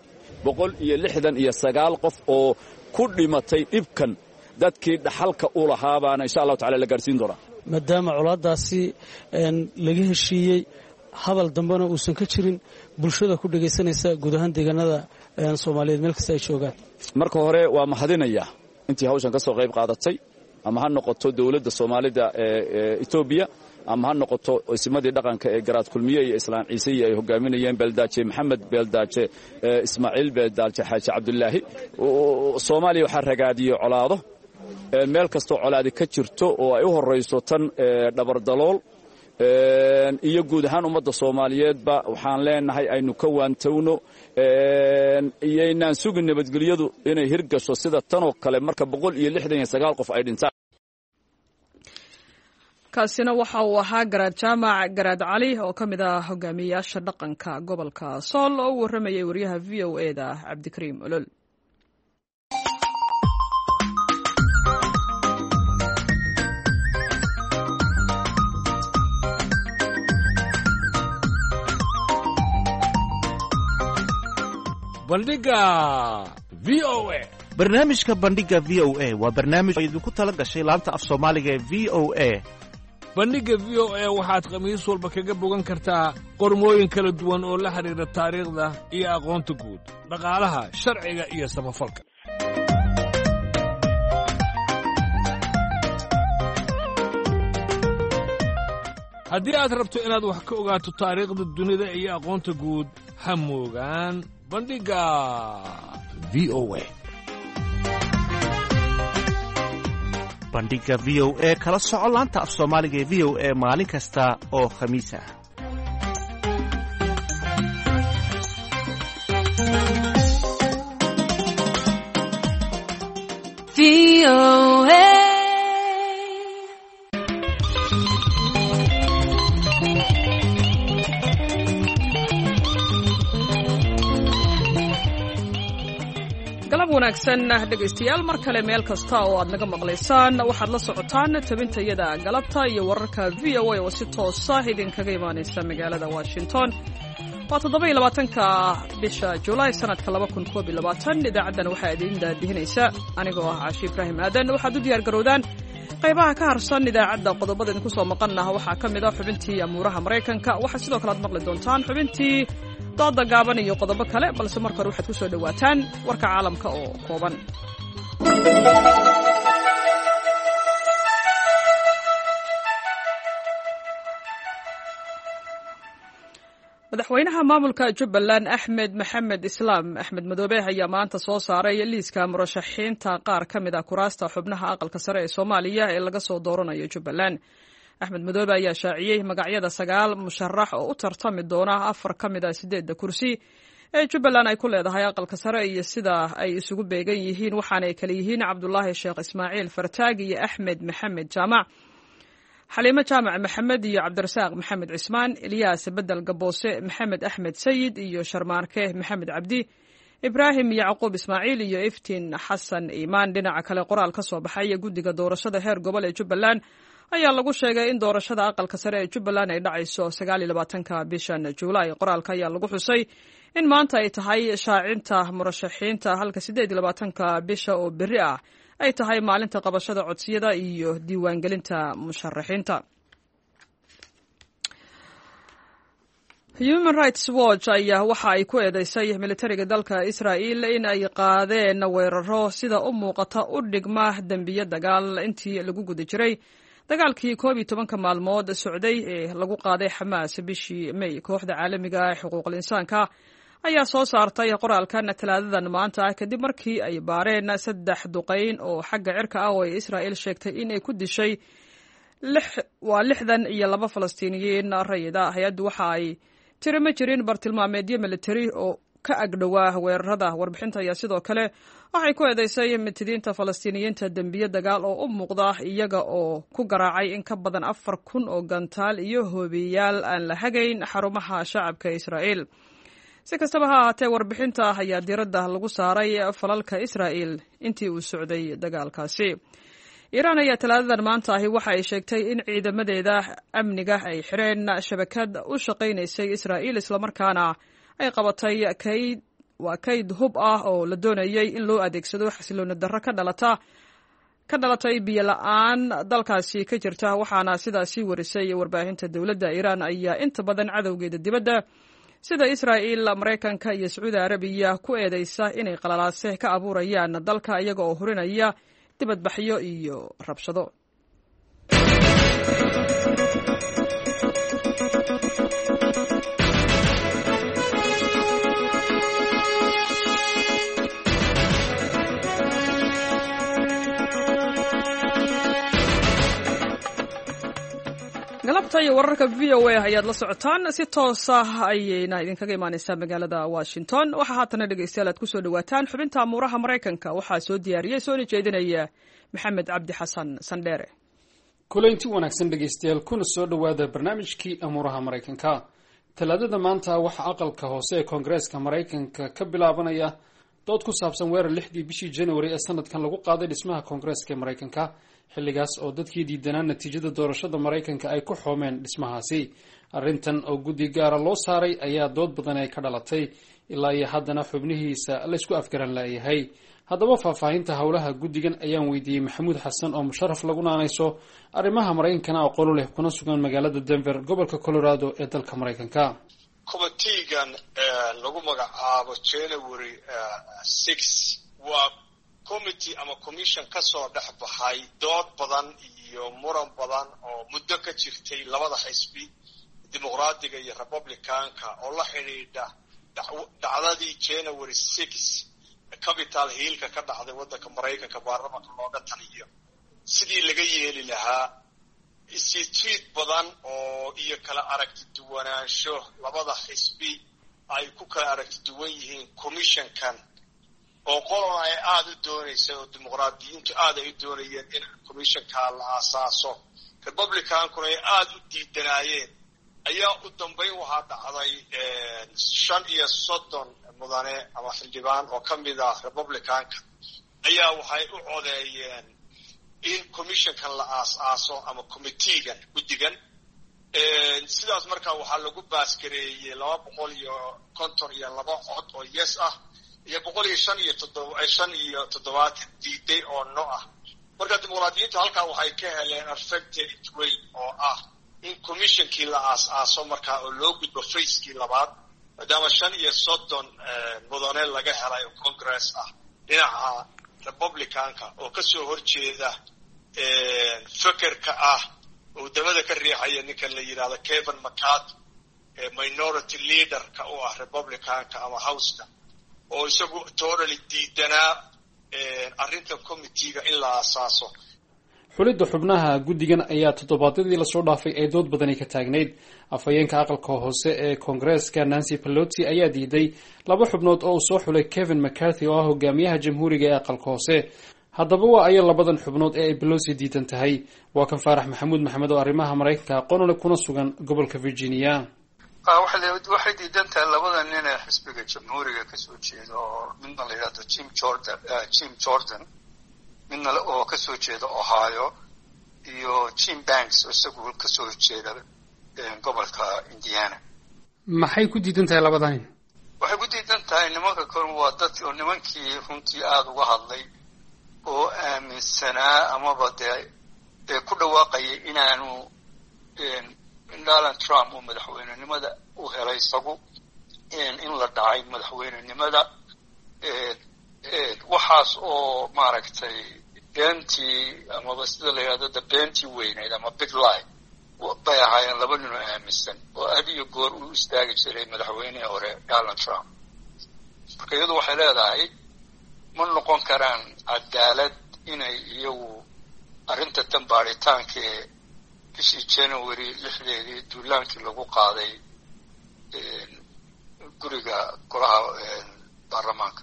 169 qof oo ku dhimatay dhibkan. Dadkii dhaxalka u lahaabaana insha Allahu tacala la gaarsiin doonaa. Maadaama colaaddaasi laga heshiiyey, hadal dambena uusan ka jirin, bulshada ku dhegaysanaysa guud ahaan deegaanada Soomaaliyeed meel kasta ay joogaan. Marka hore waa mahadinayaa intii hawshan ka soo qayb qaadatay, ama ha noqoto dowladda Soomaalida ee Etoobiya, ama ha noqoto isimadii dhaqanka ee Garaad Kulmiye iyo Islaan Ciise ay hogaaminayeen, Beeldaaje Maxamed, Beeldaaje Ismaaciil, Beeldaaje Xaaji Cabdulaahi. Soomaaliya waxaa ragaadiyey colaado. Meel kastoo colaadi ka jirto oo ay u horrayso tan Dhabardalool iyo guud ahaan ummadda Soomaaliyeedba, waxaan leenahay aynu ka waantowno, iyoynaan sugin nabadgelyadu inay hirgasho sida tanoo kale marka 169 qof ay dhintaan. Kaasina waxa uu ahaa Garaad Jaamac Garaad Cali oo ka mid ah hogaamiyayaasha dhaqanka gobolka Sool oo u warramayay wariyaha VOA da Cabdikariim Olol. Bandhiga VOA. Barnaamijka Bandhiga VOA waa barnaamij oo idinku tala gashay laanta af Soomaaliga ee VOA. Bandhigga VOA waxaad khamiis walba kaga bogan kartaa qormooyin kala duwan oo la xidhiidha taariikhda iyo aqoonta guud, dhaqaalaha, sharciga iyo samafalka. Haddii aad rabto inaad wax ka ogaato taariikhda dunida iyo aqoonta guud, ha moogaan Bandhigga v o a. Bandhiga v o a kala soco laanta af Soomaaliga ee v o a maalin kasta oo Khamiis ah. Galab wanaagsan, dhegaystayaal, mar kale meel kasta oo aad naga maqlaysaan. Waxaad la socotaan tabintayada galabta iyo wararka v o a oo si toosa idinkaga imaanaysa magaalada Washington. Waa 27-ka bisha Julaay sanadka 2021. Idaacaddan waxaa idiin daadihinaysa anigoo ah Caashi Ibraahim Aadan. Waxaad u diyaar garowdaan qaybaha ka harsan idaacadda. Qodobada idinku soo maqanah waxaa ka mid ah xubintii amuuraha Maraykanka. Waxaa sidoo kale aad maqli doontaan xubintii dooda gaaban iyo qodobo kale, balse marka hore waxaad ku soo dhowaataan warka caalamka oo kooban. Madaxweynaha maamulka Jubbaland, Axmed Maxamed Islaam, Axmed Madoobe, ayaa maanta soo saaray liiska murashaxiinta qaar ka mid ah kuraasta xubnaha aqalka sare ee Soomaaliya ee laga soo dooranayo Jubbaland. Axmed Madoobe ayaa shaaciyey magacyada sagaal musharax oo u tartami doona afar ka mid ah sideedda kursi ee Jubbaland ay ku leedahay aqalka sare iyo sida ay isugu beegan yihiin, waxaana ay kale yihiin Cabdulaahi Sheekh Ismaaciil Fartaag iyo Axmed Maxamed Jaamac, Xaliimo Jaamac Maxamed iyo Cabdirasaaq Maxamed Cismaan, Ilyaas Bedel Gaboose, Maxamed Axmed Sayid iyo Sharmaarke Maxamed Cabdi, Ibraahim Yacquub Ismaaciil iyo Iftiin Xasan Iimaan. Dhinaca kale, qoraal ka soo baxay guddiga doorashada heer gobol ee Jubbaland ayaa lagu sheegay in doorashada aqalka sare ee Jubbaland ay dhacayso 29-ka bishan Juulaay. Qoraalka ayaa lagu xusay in maanta ay tahay shaacinta murashaxiinta, halka 28-ka bisha oo berri ah ay tahay maalinta qabashada codsiyada iyo diiwaangelinta musharaxiinta. Human Rights Watch ayaa waxa ay ku eedeysay militariga dalka Israa'il in ay qaadeen weeraro sida u muuqata u dhigma dembiyo dagaal intii lagu guda jiray dagaalkii 11-ka maalmood socday ee lagu qaaday Xamaas bishii May. Kooxda caalamiga ah ee xuquuqul insaanka ayaa soo saartay qoraalkan Talaadadan maanta ah kadib markii ay baareen saddex duqayn oo xagga cirka ah oo ay Israa'il sheegtay in ay ku dishay waa 62 Falastiiniyiin rayida. Hay-addu waxa ay tiri ma jirin bartilmaameedyo militari oo ka agdhowaa weerarada. Warbixinta ayaa sidoo kale waxay ku eedeysay mitidiinta Falastiiniyiinta dembiyo dagaal oo u muuqda, iyaga oo ku garaacay in ka badan 4000 oo gantaal iyo hoobiyaal aan la hagayn xarumaha shacabka Israa'iil. Si kastaba ha ahaatee, warbixinta ayaa diiradda lagu saaray falalka Israa'il intii uu socday dagaalkaasi. Iiraan ayaa Talaadadan maanta ahi waxa ay sheegtay in ciidamadeeda amniga ay xireen shabakad u shaqaynaysay Israa'iil, islamarkaana ay qabatay kayd waa kayd hub ah oo la doonayay in loo adeegsado xasilooni darro ka dhalatay biyo la-aan dalkaasi ka jirta, waxaana sidaasi warisay warbaahinta dowladda. Iiraan ayaa inta badan cadowgeeda dibadda sida Israa'iil, Maraykanka iyo Sacuudi Arabiya ku eedeysa inay qalalaase ka abuurayaan dalka, iyaga oo hurinaya dibadbaxyo iyo rabshado. Galabta iyo wararka v o a ayaad la socotaan, si toosa ayayna idinkaga imaaneysaa magaalada Washington. Waxaa haatana, dhegeystayaal, aad kusoo dhawaataan xubinta amuuraha Maraykanka. Waxaa soo diyaariyey soona jeedinaya Maxamed Cabdi Xasan Sandheere. Kulaynti wanaagsan, dhegaystayaal, kuna soo dhowaada barnaamijkii amuuraha Maraykanka. Talaadada maanta waxaa aqalka hoose ee Koongareeska Maraykanka ka bilaabanaya dood ku saabsan weerar 6dii bishii January ee sanadkan lagu qaaday dhismaha Koongareeska ee Maraykanka, xilligaas oo dadkii diidanaa natiijada doorashada Maraykanka ay ku xoomeen dhismahaasi. Arrintan oo guddi gaara loo saaray ayaa dood badan ay ka dhalatay, ilaa iyo haddana xubnihiisa laysku afgaran laayahay. Haddaba faahfaahinta howlaha guddigan ayaan weydiiyey Maxamuud Xasan oo musharaf lagu naanayso, arrimaha Maraykankana aqoon u leh, kuna sugan magaalada Denver, gobolka Colorado ee dalka Maraykanka. Committeegan lagu magacaabo January 6 waa Committee ama commission ka soo dhex baxay dood badan iyo muran badan oo muddo ka jirtay labada xisbi, Dimuqraadiga iyo Republicanka, oo la xidhiidha dhacdadii January 6 Capitol Hillka ka dhacday waddanka Maraykanka, baarlamanka looga taliyo, sidii laga yeeli lahaa. Isjiid badan oo iyo kala aragti duwanaansho labada xisbi ay ku kala aragti duwan yihiin commissionkan, oo qolona ay aada u doonaysa, oo Dimuqraadiyiintu aad ay u doonayeen in commissionka la aasaaso, Republicankuna ay aada u diidanaayeen, ayaa u dambayn waxaa dhacday 35 mudane ama xildhibaan oo ka mid ah Republicanka ayaa waxay u codeeyeen in commissionkan la aas-aaso ama committeegan, guddigan. Sidaas markaa waxaa lagu baasgareeyey 252 cod oo yes ah iyo 175 diiday oo no ah. Marka Dimuqraadiyiintu halkaa waxay ka heleen advantage weyn oo ah in commissionkii la aas-aaso markaa oo loo gudbo phasekii labaad, maadaama 35 mudane laga helay oo Congress ah dhinaca Republicanka oo kasoo horjeeda fekerka ah oo dabada ka riixaya ninkan la yidhahdo Kevin McCarthy, minority leaderka u ah Republicanka ama Houseka, oo isagu totally diidanaa arrinta committeega in la aasaaso. Xulidda xubnaha guddigan ayaa toddobaadyadii lasoo dhaafay ay dood badani ka taagnayd. Afhayeenka aqalka hoose ee Koongareeska, Nancy Pelosi, ayaa diiday laba xubnood oo uu soo xulay Kevin McCarthy, oo ah hogaamiyaha Jamhuuriga ee aqalka hoose. Haddaba waa aya labadan xubnood ee ay Pelosi diidan tahay? Waa kan Faarax Maxamuud Maxamed oo arrimaha Maraykanka aqoon u leh, kuna sugan gobolka Virginia. Waxay diidan tahay labada nin ee xisbiga Jamhuuriga kasoo jeeda, oo midna la yidhahdo Jim Jordan, midna oo kasoo jeeda Ohio, iyo Jim Banks oo isagu kasoo jeeda gobolka Indiana. Maxay ku diidan tahay labadan nin? Waxay ku diidan tahay nimanka kale waa dad oo nimankii runtii aada uga hadlay oo aaminsanaa amaba dee ku dhawaaqayay inaanu Donald Trump uu madaxweynenimada u helay isagu, in la dhacay madaxweynenimada, waxaas oo maaragtay beentii amaba sida la yidhahdo de beentii weyneyd ama big lie bay ahaayeen, laba nin oo aaminsan oo had iyo goor u istaagi jiray madaxweynihii hore Donald Trump. Marka iyadu waxay leedahay ma noqon karaan cadaalad inay iyagu arrinta tan baadhitaankee bishii January 6deedii duulaankii lagu qaaday guriga golaha baarlamaanka.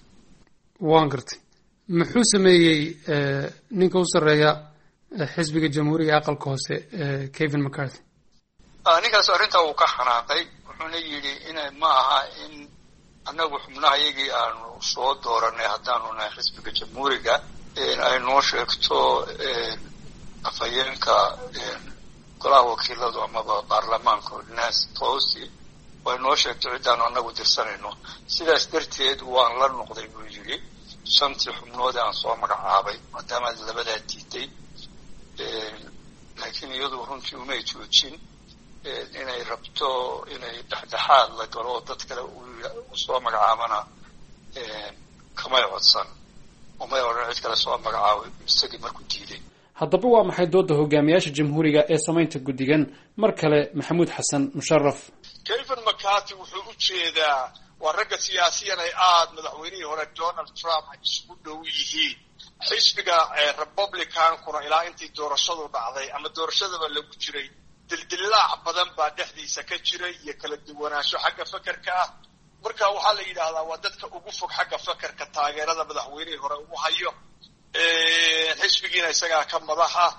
Waan gartay. Muxuu sameeyey ninka u sarreeya xisbiga Jamhuuriga aqalka hoose, Kevin McCarthy? Ninkaas arrintaa wuu ka xanaaqay, wuxuuna yidhi ina ma aha in annagu xubnaha iyagii aanu soo dooranay haddaanu nahay xisbiga Jamhuuriga ay noo sheegto afhayeenka golaha wakiiladu amaba baarlamaanka, Nancy Pelosi, ay noo sheegto ciddaanu annagu dirsanayno. Sidaas darteed waan la noqday, buu yidhi, shantii xubnood aan soo magacaabay maadaama labadaa diiday. Laakiin iyadu runtii umay joojin inay rabto inay dhexdhexaad la galo oo dad kale u soo magacaabana kamay codsan, umay odhan cid kale soo magacaabay isagii markuu diiday. Haddaba waa maxay doodda hogaamiyaasha Jamhuuriga ee samaynta guddigan? Mar kale Maxamuud Xasan Musharaf. Kevin McCarthy wuxuu u jeedaa waa ragga siyaasiyan ay aada madaxweynihii hore Donald Trump ay isugu dhow yihiin. Xisbiga Republicankuna ilaa intii doorashadu dhacday ama doorashadaba lagu jiray, dildilaac badan baa dhexdiisa ka jiray iyo kala duwanaansho xagga fekerka ah. Marka waxaa la yidhaahdaa waa dadka ugu fog xagga fekerka taageerada madaxweynihii hore ugu hayo, xisbigiina isagaa ka madax ah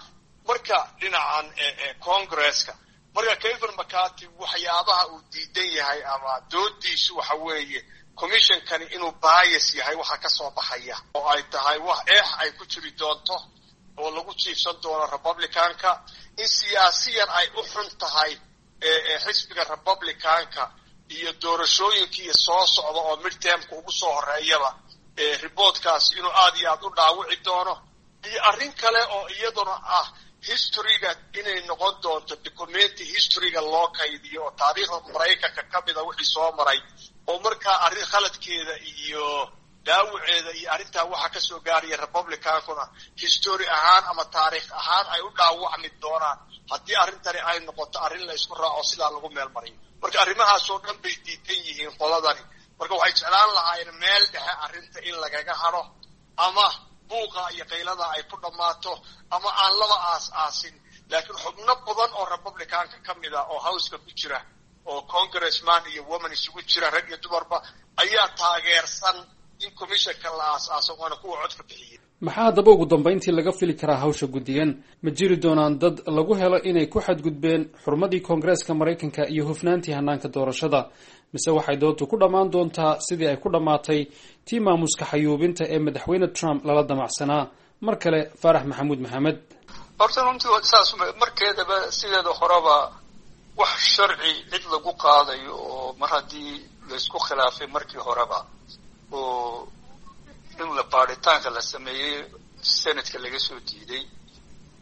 marka dhinacan Congresska. Marka Kevin McCarthy waxyaabaha uu diidan yahay ama doodiisu waxa weeye commissionkani inuu bias yahay, waxa ka soo baxaya oo ay tahay wax eex ay ku jiri doonto oo lagu jiifsan doono Republicanka, in siyaasiyan ay u xun tahay xisbiga Republicanka iyo doorashooyinkii soo socda oo midtermka ugu soo horeeyaba reportkaasi inuu aada iyo aada u dhaawici doono, iyo arrin kale oo iyaduna ah historyga inay noqon doonto documenti historyga loo kaydiyo oo taariikhda Maraykanka ka mida wixii soo maray, oo markaa arrin khaladkeeda iyo Dhaawaceeda iyo arrintaa waxaa kasoo gaaraya Republicankuna history ahaan ama taariikh ahaan ay u dhaawacmi doonaan haddii arrintani ay noqoto arrin la isku raaco sidaa lagu meel mariyo. Marka arrimahaasoo dhan bay diidan yihiin qoladani. Marka waxay jeclaan lahaayeen meel dhexe arrinta in lagaga hadho, ama buuqa iyo qaylada ay ku dhammaato, ama aan laba aas aasin. Laakiin xubno badan oo Republicanka ka mid ah oo Houseka ku jira, oo congressman iyo woman isugu jira, rag iyo dumarba, ayaa taageersan in commissionka la aas-aaso, waana kuwa codka bixiyey. Maxaa haddaba ugu dambayntii laga fili karaa hawsha guddigan? Ma jiri doonaan dad lagu helo inay ku xadgudbeen xurmadii Koongareeska Maraykanka iyo hufnaantii hanaanka doorashada, mise waxay doontu ku dhammaan doontaa sidii ay ku dhammaatay tii maamuska xayuubinta ee madaxweyne Trump lala damacsanaa? Mar kale Faarax Maxamuud Maxamed. Horta runtii saas markeedaba sideeda horeba wax sharci cid lagu qaadayo oo mar haddii laysku khilaafay markii horeba oo in la baaritaanka la sameeyey Senatka laga soo diiday,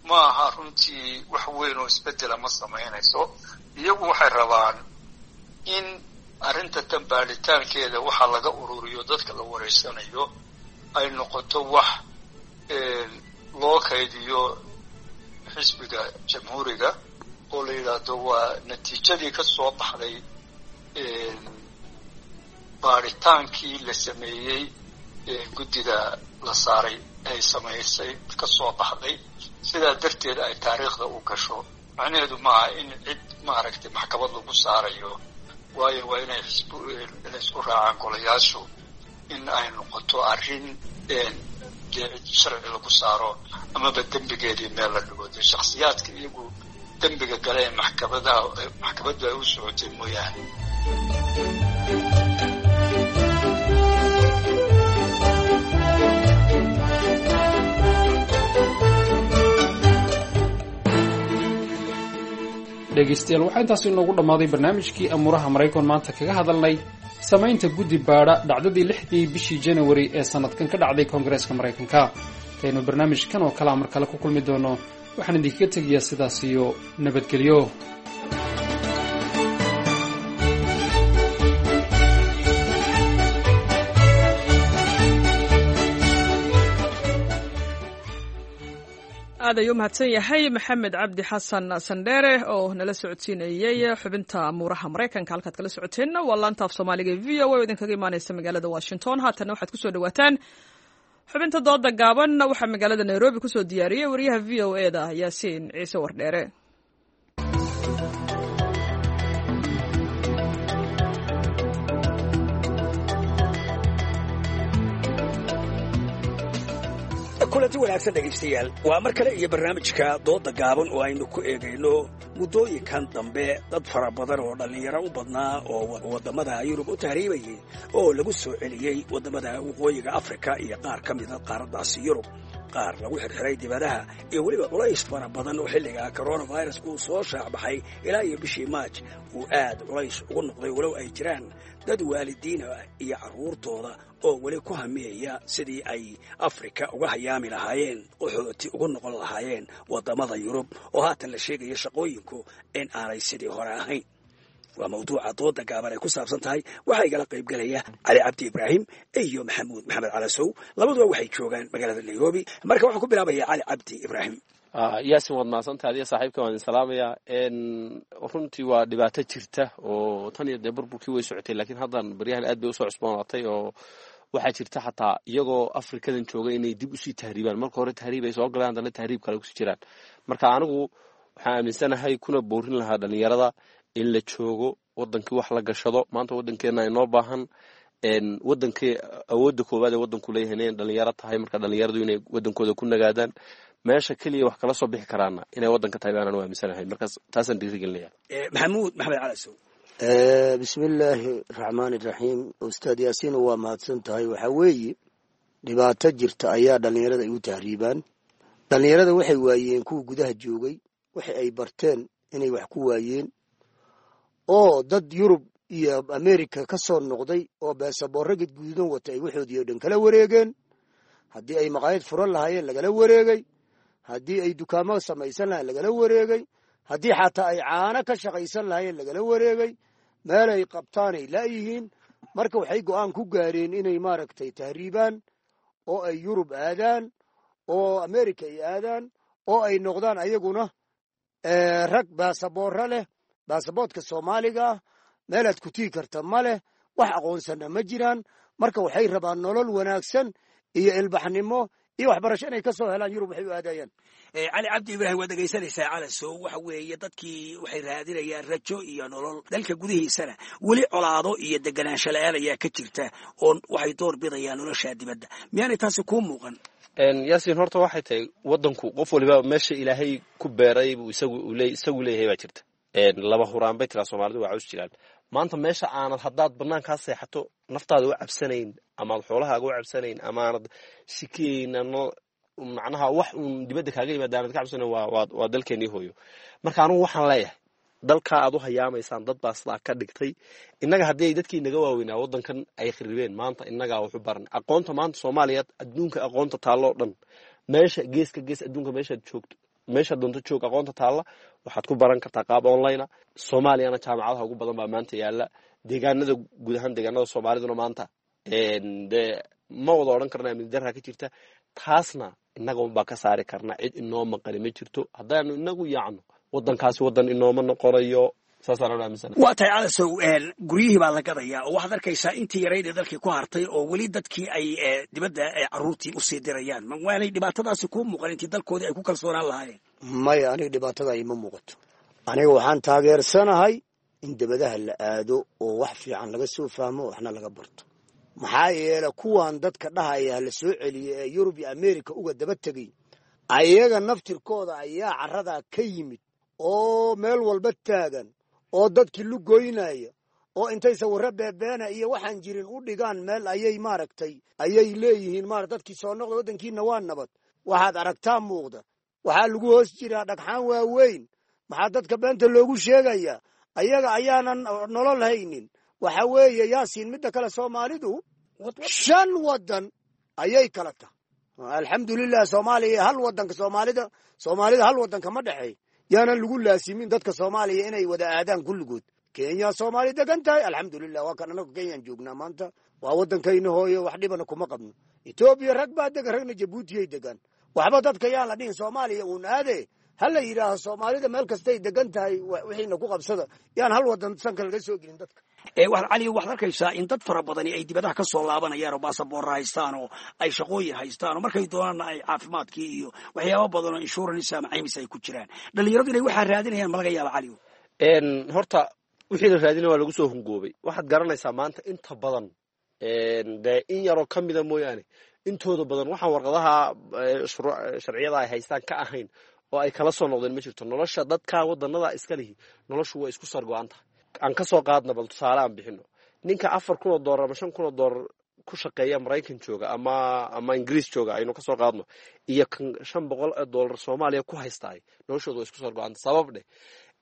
ma aha runtii wax weyn oo isbedela ma samaynayso. Iyagu waxay rabaan in arrinta tan baaritaankeeda waxa laga ururiyo dadka la wareysanayo ay noqoto wax loo kaydiyo xisbiga Jamhuuriga, oo la yidhaahdo waa natiijadii ka soo baxday baaritaankii la sameeyey guddida la saaray ay samaysay ka soo baxday, sidaa darteed ay taariikhda u gasho. Macnaheedu maaha in cid maaragtay maxkamad lagu saarayo, waayo waa inay inay isku raacaan golayaashu in ay noqoto arrin dee cid sharci lagu saaro amaba dembigeedii meel la dhigo, dee shaksiyaadka iyagu dembiga gale ee maxkamadaha maxkamaddu ay u socotay mooyaane. Dhegaystayaal, waxaa intaasi inoogu dhammaaday barnaamijkii amuuraha Maraykan maanta kaga hadalnay samaynta guddi baadha dhacdadii 6dii bishii Janawari ee sanadkan ka dhacday Koongareeska Maraykanka. Intaynu barnaamijkan oo kalea mar kale ku kulmi doono, waxaan idinkaga tegayaa sidaas iyo nabadgelyo. Aad ayuu umahadsan yahay Maxamed Cabdi Xasan Sandheere oo nala socodsiinayey xubinta amuuraha Maraykanka. Halkaad kala socoteenna waa laanta af Soomaaliga e VOA oo idinkaga imaaneysa magaalada Washington. Haatanna waxaad kusoo dhawaataan xubinta dooda gaaban. Waxaa magaalada Nairobi kusoo diyaariyey wariyaha VOA da Yaasiin Ciise Wardheere. Kulanti wanaagsan dhegaystayaal, waa mar kale iyo barnaamijka dooda gaaban oo aynu ku eegayno muddooyinkan dambe dad fara badan oo dhallinyaro u badnaa oo waddamada Yurub u tahriibayay oo lagu soo celiyey waddamada waqooyiga Afrika iyo qaar ka mida qaaraddaasi Yurub, qaar lagu xirxiray dibadaha, iyo weliba culays fara badan oo xilliga coronavirus uu soo shaacbaxay ilaa iyo bishii Maaj uu aad culays ugu noqday, walow ay jiraan dad waalidiina iyo carruurtooda oo weli ku hamiyaya sidii ay Afrika uga hayaami lahaayeen, qaxooti ugu noqon lahaayeen waddamada Yurub, oo haatan la sheegaya shaqooyinku in aanay sidii hore ahayn. Waa mawduuca dooda gaaban ay ku saabsan tahay. Waxaa igala qaybgelaya Cali Cabdi Ibraahim iyo Maxamuud Maxamed Calasow. Labaduba waxay joogaan magaalada Nairobi. Marka waxaan ku bilaabaya Cali Cabdi Ibraahim. Yaasin, waad mahadsantahay, adiga saaxiibka waan idin salaamayaa. Runtii waa dhibaato jirta oo tan iyo dee burburkii way socotay, laakiin haddan baryahan aad bay usoo cusboonaatay, oo waxaa jirta xataa iyagoo Afrikadan jooga inay dib usii tahriibaan. Marka hore tahriib ay soo galaan, haddana tahriib kale kusii jiraan. Marka anigu waxaan aaminsanahay kuna boorin lahaa dhalinyarada in la joogo wadankii, wax la gashado. Maanta wadankeena inoo baahan, wadankii awoodda koowaad ee wadanku leeyahay inay dhalinyaro tahay. Marka dhalinyaradu inay wadankooda ku nagaadaan, meesha keliya wax kala soo bixi karaana inay wadanka tahay baanaan u aaminsanahay. Markaas taasaan dhiirigelinaya. Maxamuud Maxamed Calasow. Bismillaahi raxmaani raxiim. Ustaad Yaasiin, waa mahadsan tahay. Waxaa weeye dhibaato jirta ayaa dhallinyarada ay u tahriibaan. Dhallinyarada waxay waayeen kuwa gudaha joogay waxa ay barteen inay wax ku waayeen, oo dad Yurub iyo Amerika ka soo noqday oo beesaboorro gadguudan wata ay waxoodii oo dhan kala wareegeen. Haddii ay maqaayad furan lahaayeen lagala wareegay, haddii ay dukaamo samaysan lahayen lagala wareegay, haddii xataa ay caano ka shaqaysan lahaayeen lagala wareegay. Meel ay qabtaanay laayihiin. Marka waxay go'aan ku gaareen inay maaragtay tahriibaan oo ay Yurub aadaan oo America ay aadaan oo ay noqdaan ayaguna rag baasaboorro leh, baasaboortka Soomaaliga ah meelaad ku tigi karta ma leh, wax aqoonsana ma jiraan. Marka waxay rabaan nolol wanaagsan iyo ilbaxnimo iyo waxbarasho inay ka soo helaan Yurub waxay u aadayaan. Cali Cabdi Ibraahim, waad dhegaysanaysaa Calasow. Waxa weeye dadkii waxay raadinayaan rajo iyo nolol, dalka gudihiisana weli colaado iyo deganaansho la-aan ayaa ka jirta oo waxay door bidayaan nolosha dibadda. Miyaanay taasi kuu muuqan? Yaasiin, horta waxay tahay waddanku qof waliba meesha Ilaahay ku beeray buu isagu leeyahay baa jirta. Laba huraan bay tiraa Soomaalidu, waa caws jiraan. Maanta meesha aanad haddaad banaankaa seexato naftaada u cabsanayn amaad xoolahaaga u cabsanayn amaanad shikeyn macnaha wax uun dibadda kaaga yimaada aanad ka cabsanayn waa dalkeenii hooyo. Marka anugu waxaan leeyahay dalkaa aad u hayaamaysaan dad baa sidaa ka dhigtay. Innaga haddii ay dadkii naga waaweynaa waddankan ay kharibeen, maanta innagaa waxu baran aqoonta. Maanta Soomaaliya adduunka aqoonta taalla oo dhan, meesha geeska gees adduunka meeshaad joogto, meesha doonto joog, aqoonta taalla waxaad ku baran kartaa qaab online a. Soomaaliyana jaamacadaha ugu badan baa maanta yaalla deegaanada, guud ahaan deegaanada Soomaaliduna maanta dee ma wada odhan karna amni darraa ka jirta. Taasna innaga unbaa ka saari karna, cid inoo maqani ma jirto. Haddaanu inagu yaacno waddankaasi waddan inooma noqonayo, saasaan aaminsana. Waa tahay Calasow, guryihii baa la gadayaa oo waxaad arkaysaa intii yarayd ee dalkii ku hartay oo weli dadkii ay dibadda carruurtii usii dirayaan. Waanay dhibaatadaasi kuu muuqan intii dalkoodii ay ku kalsoonaan lahaayeen? Maya, aniga dhibaatada ima muuqato. Aniga waxaan taageersanahay in debadaha la aado oo wax fiican laga soo fahmo, waxna laga barto. Maxaa yeele kuwan dadka dhahaya la soo celiye ee Yurub iyo America uga daba tegay, ayaga naftirkooda ayaa carradaa ka yimid oo meel walba taagan oo dadkii lugoynaya oo intay sawirro beebeena iyo waxaan jirin u dhigaan meel ayay maaragtay ayay leeyihiin maara dadkii soo noqda, waddankiina waa nabad. Waxaad aragtaa muuqda, waxaa lagu hoos jiraa dhagxaan waaweyn. Maxaa dadka beenta loogu sheegayaa? Ayaga ayaanan nolol haynin. Waxa weeye Yaasiin, midda kale Soomaalidu 5 waddan ayay kala tahay. Alxamdulilah, Soomaaliya hal waddanka Soomaalida hal waddanka ma dhexeey. Yaanan lagu laasimin dadka Soomaaliya inay wada aadaan kulligood. Kenya Soomaali degan tahay, alxamdulilah, waa kan anagu Kenyaan joognaa maanta, waa waddankayna hooyo, wax dhibana kuma qabno. Etoobiya rag baa degan, ragna Jabuutiyay degan. Waxba dadka yaan la dhihin Soomaaliya uun aade, ha la yidhaaho Soomaalida meel kastay degan tahay wixiina ku qabsada. Yaan hal waddan sanka laga soo gelin dadka. Cali, waxaad arkaysaa in dad fara badani ay dibadaha ka soo laabanayaan oo baasaboorra haystaan oo ay shaqooyin haystaan oo markay doonaanna ay caafimaadkii iyo waxyaaba badan oo insurance ama caymis ay ku jiraan. Dhalinyaradu inay waxaa raadinayaan ma laga yaaba, Cali? Horta wixii la raadinaya waa lagu soo hungoobay. Waxaad garanaysaa maanta inta badan dee in yaroo ka mida mooyaane, intooda badan waxaan warqadaha sharciyada ay haystaan ka ahayn oo ay kala soo noqdeen ma jirto. Nolosha dadka wadanada iska lihi noloshu waa isku sargo-an tahay. Aan ka soo qaadna, bal tusaale aan bixino, ninka $4,000 ama $5,000 ku shaqeeya Maraykan jooga ama Ingiriis jooga aynu kasoo qaadno, iyo kan $500 Soomaaliya ku haystaay, noloshooda waa isku sargo-anta. Sabab dheh,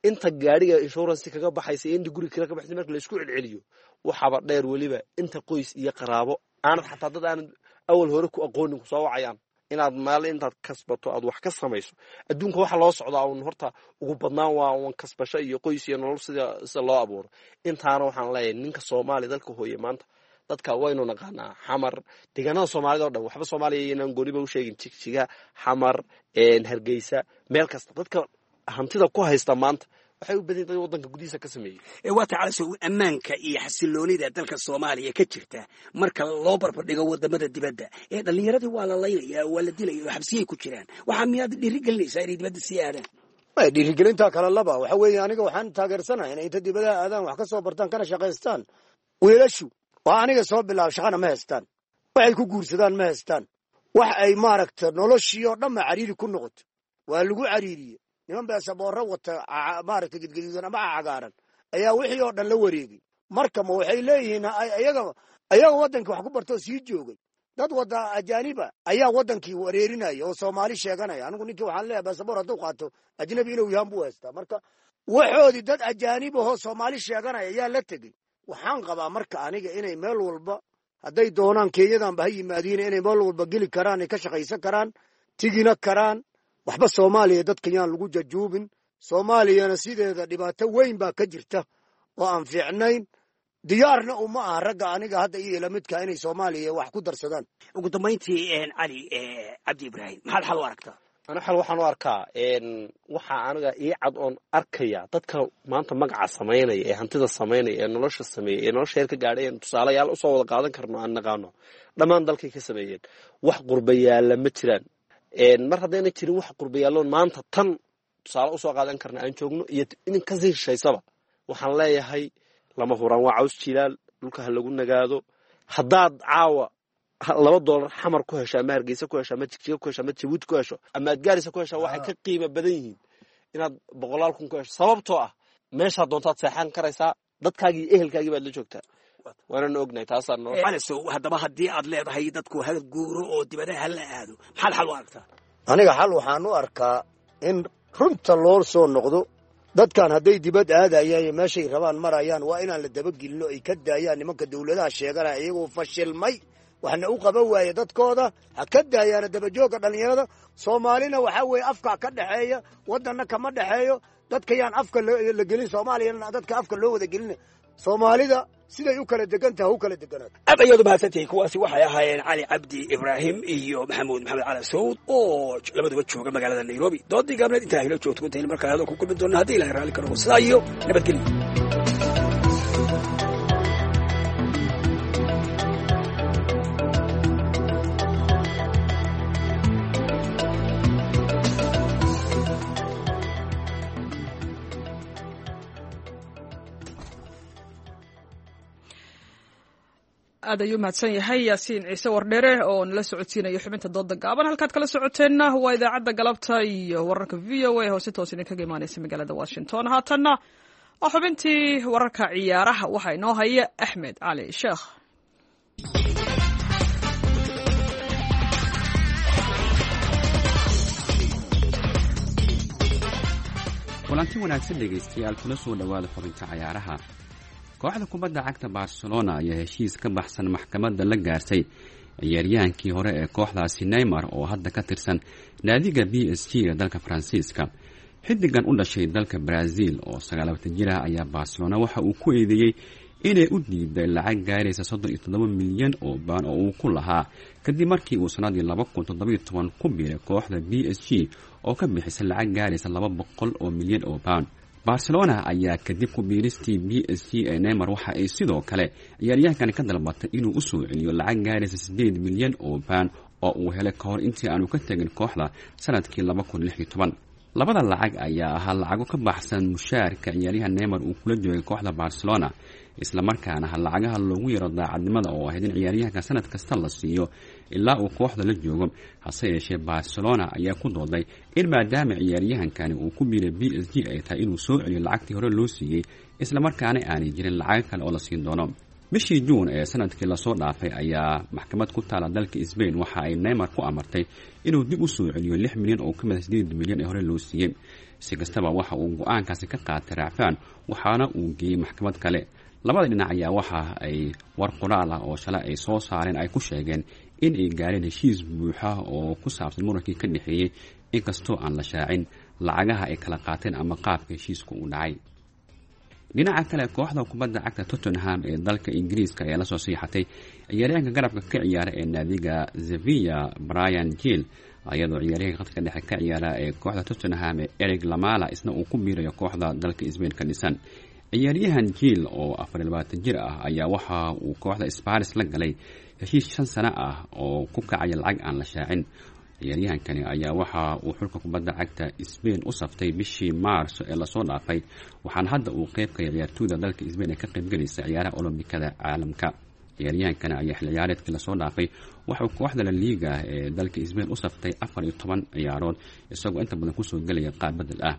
inta gaadhiga insurance kaga baxaysa iyo inta guri kale ka baxaysa marka la isku celceliyo, waxaaba dheer weliba inta qoys iyo qaraabo aanad xataa dad aanad awal hore ku aqoonin kusoo wacayaan inaad maal intaad kasbato aad wax ka samayso. Adduunka waxa loo socdaa uun horta ugu badnaan waa uun kasbasho iyo qoys iyo nolol sida loo abuuro. Intaana waxaan leeyahay ninka Soomaaliya dalka hooye maanta dadka waynu naqaanaa, Xamar, deegaanada Soomaalida o dhan, waxba Soomaaliya inaan gooniba u sheegin, Jigjiga, Xamar, Hargeysa, meel kasta dadka hantida ku haysta maanta waxay u badan dad waddanka gudihiisa ka sameeyey. Waa tahay Calasow, ammaanka iyo xasiloonida dalka Soomaaliya ka jirta marka loo barbardhigo wadamada dibadda ee dhallinyaradii waa la laynaya, waa la dilaya oo xabsiyay ku jiraan, waxaa miyaad dhiirigelinaysaa inay dibadda sii aadaan? Dhiirigelintaa kala laba. Waxa weeye aniga waxaan taageersanahay inay inta dibadaha aadaan wax ka soo bartaan kana shaqaystaan. Wiilashu waa aniga soo bilaabo shaqana ma haystaan, waxay ku guursadaan ma haystaan, wax ay maaragta noloshii oo dhanba cariiri ku noqoto, waa lagu cariiriye. Niman beesaboorro wata maaragta gedgeduudan ama cagaaran ayaa wixii oo dhan la wareegay. Marka ma waxay leeyihiin ayaga waddankii wax ku bartoo sii joogay, dad wada ajaaniba ayaa waddankii wareerinaya oo Soomaali sheeganaya. Anigu ninkii waxaan leeyahay baasaboor hadduu qaato ajnabi inuu yahan buu haystaa. Marka waxoodii dad ajaanibahoo Soomaali sheeganaya ayaa la tegey. Waxaan qabaa marka aniga inay meel walba hadday doonaan Kenyadanba ha yimaadiin, inay meel walba geli karaan, ay ka shaqaysan karaan, tigina karaan. Waxba Soomaaliya dadka yaan lagu jajuubin. Soomaaliyana sideeda dhibaato weyn baa ka jirta oo aan fiicnayn. Diyaarna uma aha ragga aniga hadda iyo lamidka inay Soomaaliya wax ku darsadaan. Ugu dambayntii, Cali Cabdi Ibraahim, maxaad xal u aragtaa? Ana xal waxaan u arkaa, waxaa aniga ii cad oon arkaya, dadka maanta magaca samaynaya ee hantida samaynaya ee nolosha sameeyey ee nolosha heer ka gaadhay een tusaalayaal usoo wada qaadan karno aan naqaano, dhammaan dalkay ka sameeyeen. Wax qurbayaalla ma jiraan. Mar haddayna jirin wax qurbayaalloon maanta tan tusaale usoo qaadan karna aan joogno iyo in kasii shishaysaba, waxaan leeyahay lama huraan waa caws jilaal, dhulka ha lagu nagaado. Haddaad caawa $2 Xamar ku hesho ama Hargeysa ku hesho ama Jigjiga ku hesho ama Jabuuti ku hesho ama aad Gaarisa ku hesho, waxay ka qiimo badan yihiin inaad boqolaal kun ku hesho, sababtoo ah meeshaad doontaad seexan karaysaa, dadkaagii iyo ehelkaagii baad la joogtaa, waanana ognahay taasaa noo. Calisow, haddaba haddii aad leedahay dadku hal guuro oo dibadaha hala aado, maxaad xal u aragtaa? Aniga xal waxaan u arkaa in runta loo soo noqdo. Dadkan hadday dibad aadayaan iyo meeshay rabaan marayaan, waa inaan la dabagelino, ay ka daayaan nimanka dawladaha sheeganaya iyagoo fashilmay, waxna u qaban waaye dadkooda. Ha ka daayaana dabajoogga dhallinyarada Soomaalina. Waxaa weeye afka ka dhexeeya, waddanna kama dhexeeyo. Dadka yaan afka la gelin Soomaaliyana, dadka afka loo wada gelina. Soomaalida siday u kala degan tahay u kala deganaato. Aad ayaad umahadsantihiin. Kuwaasi waxay ahaayeen Cali Cabdi Ibraahim iyo Maxamuud Maxamed Cali Sawd oo labaduba jooga magaalada Nairobi. Doodii gaabneed intaa hilo joogto intaynu markaa hadal ku kulmi doona, haddii Ilahay raalli ka noqo, sidaa iyo nabadgelyo. Aad ayuu mahadsan yahay Yaasiin Ciise Wardhere oo nala socodsiinayo xubinta dooda gaaban. Halkaad kala socoteenna waa idaacadda galabta iyo wararka VOA oo si toos idinkaga imaaneysa magaalada Washington. Haatanna waa xubintii wararka ciyaaraha, waxaa inoo haya Axmed Cali Sheekh. Kulanti wanaagsan dhegaystayaal, kula soo dhowaada xubinta cayaaraha. Kooxda kubadda cagta Barcelona ayaa heshiis ka baxsan maxkamadda la gaartay ciyaaryahaankii hore ee kooxdaasi Neymar oo hadda ka tirsan naadiga PSG ee dalka Faransiiska. Xiddigan u dhashay dalka Brazil oo 29 jir ah ayaa Barcelona waxa uu ku eedeeyey inay u diiday lacag gaaraysa 37 milyan oo baan oo uu ku lahaa, kadib markii uu sanadii 2017 ku biiray kooxda PSG oo ka bixisay lacag gaaraysa 200 oo milyan oo baan. Barcelona ayaa kadib ku biiristii PSG ee Neymar waxa ay sidoo kale ciyaaryahankan ka dalbatay inuu u soo celiyo lacag gaaraysa 8 milyan oo baan oo uu helay ka hor intii aanu ka tegin kooxda sanadkii 2016. Labada lacag ayaa ahaa lacago ka baxsan mushaarka ciyaaryahan Neymar uu kula joogay kooxda Barcelona, islamarkaana ha lacagaha loogu yaro daacadnimada oo ahayd in ciyaaryahanka sanad kasta la siiyo ilaa uu kooxda la joogo. Hase yeeshee Barcelona ayaa ku dooday in maadaama ciyaaryahankani uu ku biiray PSG ay tahay inuu soo celiyo lacagtii hore loo siiyey, islamarkaana aanay jirin lacago kale oo la siin doono. Bishii Juun ee sanadkii lasoo dhaafay ayaa maxkamad ku taala dalka Sbain waxa ay Neymar ku amartay inuu dib u soo celiyo 6 milyan oo ka mid a 8 milyan ee hore loo siiyey. Si kastaba, waxa uu go-aankaasi ka qaatay raacfaan, waxaana uu geeyey maxkamad kale. Labada dhinac ayaa waxa ay war qoraal ah oo shalay ay soo saareen ay ku sheegeen in ay gaareen heshiis buuxa oo ku saabsan murankii ka dhexeeyey, inkastoo aan la shaacin lacagaha ay kala qaateen ama qaabka heshiisku uu dhacay. Dhinaca kale, kooxda kubadda cagta Tottenham ee dalka Ingiriiska ayaa lasoo siixatay ciyaaryahanka garabka ka ciyaara ee naadiga Sevilla, Bryan Gil, iyadoo ciyaaryahanka khadka dhexe ka ciyaara ee kooxda Tottenham ee Erik Lamela isna uu ku biirayo kooxda dalka Sbain ka dhisan. Ciyaaryahan Gil oo 24 jir ah ayaa waxa uu kooxda Spurs la galay heshiis 5 sano ah oo ku kacaya lacag aan la shaacin. Ciyaaryahankani ayaa waxa uu xulka kubadda cagta Sbain u saftay bishii Maarso ee lasoo dhaafay, waxaana hadda uu qeybkaya ciyaartooyda dalka Sbain ee ka qaybgelaysa ciyaaraha Olombikada caalamka. Ciyaaryahankani ayaa xil ciyaareedkii lasoo dhaafay waxauu kooxda La Liga ee dalka Sbain u saftay 14 ciyaarood, isagoo inta badan kusoo gelaya qaab bedel ah.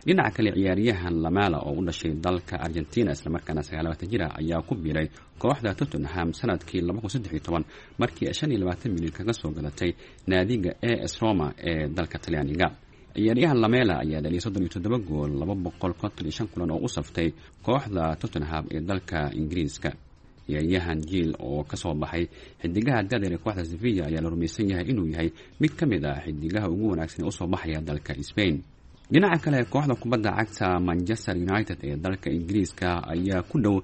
Dhinaca kale, ciyaaryahan Lamela oo u dhashay dalka Argentina islamarkaana 29 jir ah ayaa ku biiray kooxda Tottenham sanadkii 2013, markii ay 25 milyan kaga soo gadatay naadiga AS Roma ee dalka Talyaaniga. Ciyaaryahan Lamela ayaa dhaliyay 37 gool 255 kulan oo u saftay kooxda Tottenham ee dalka Ingiriiska. Ciyaaryahan Gil oo kasoo baxay xidigaha da'da yar ee kooxda Sevilla ayaa la rumaysan yahay inuu yahay mid ka mid ah xidigaha ugu wanaagsan ee usoo baxaya dalka Sbain. Dhinaca kale, kooxda kubadda cagta Manchester United ee dalka Ingiriiska ayaa ku dhow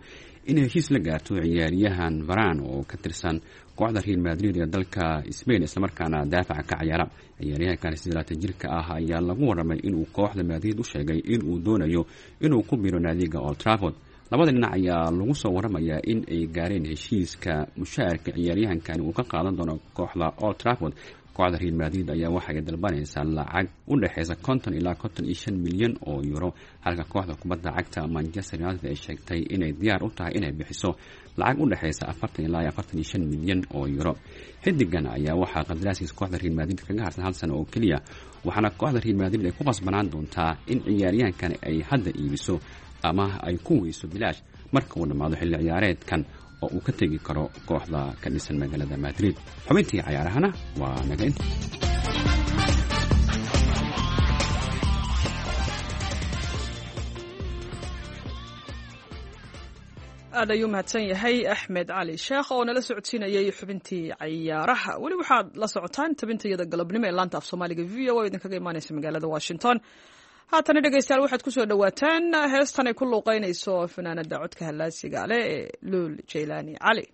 inay heshiis la gaarto ciyaaryahan varan oo ka tirsan kooxda Real Madrid ee dalka Spain, islamarkaana daafaca ka ciyaara. Ciyaaryahankan 28 jirka ah ayaa lagu warramay inuu kooxda Madrid u sheegay inuu doonayo inuu ku biro naadiga Old Trafford. Labada dhinac ayaa lagu soo waramayaa in ay gaareen heshiiska mushaarka ciyaaryahankani uu ka qaadan doono kooxda Old Trafford. Kooxda Real Madrid ayaa waxay dalbanaysaa lacag u dhexeysa 50 ilaa 55 milyan oo euro, halka kooxda kubadda cagta Manchester United ay sheegtay inay diyaar u tahay inay bixiso lacag u dhexeysa 40 ilaa 45 milyan oo euro. Xidigan ayaa waxaa qandaraaskiisa kooxda Real Madrid kaga harsan hal sano oo keliya, waxaana kooxda Real Madrid ay ku qasbanaan doontaa in ciyaaryahankan ay hadda iibiso ama ay ku weyso bilaash marka uu dhammaado xilli ciyaareedkan oo uu ka tegi karo kooxda ka dhisan magaalada Madrid. Xubintii cayaarahana waa naga inta. Aad ayuu mahadsan yahay Axmed Cali Sheekh oo nala socodsiinayay xubintii cayaaraha. Weli waxaad la socotaan tabintayada galabnimo ee laanta af Soomaaliga VOA oo idinkaga imaaneysa magaalada Washington. Haatana dhegeystayaal, waxaad kusoo dhowaataan heestan ay ku luuqeynayso fanaanada codka hallaasiga leh ee Luul Jaylaani Cali.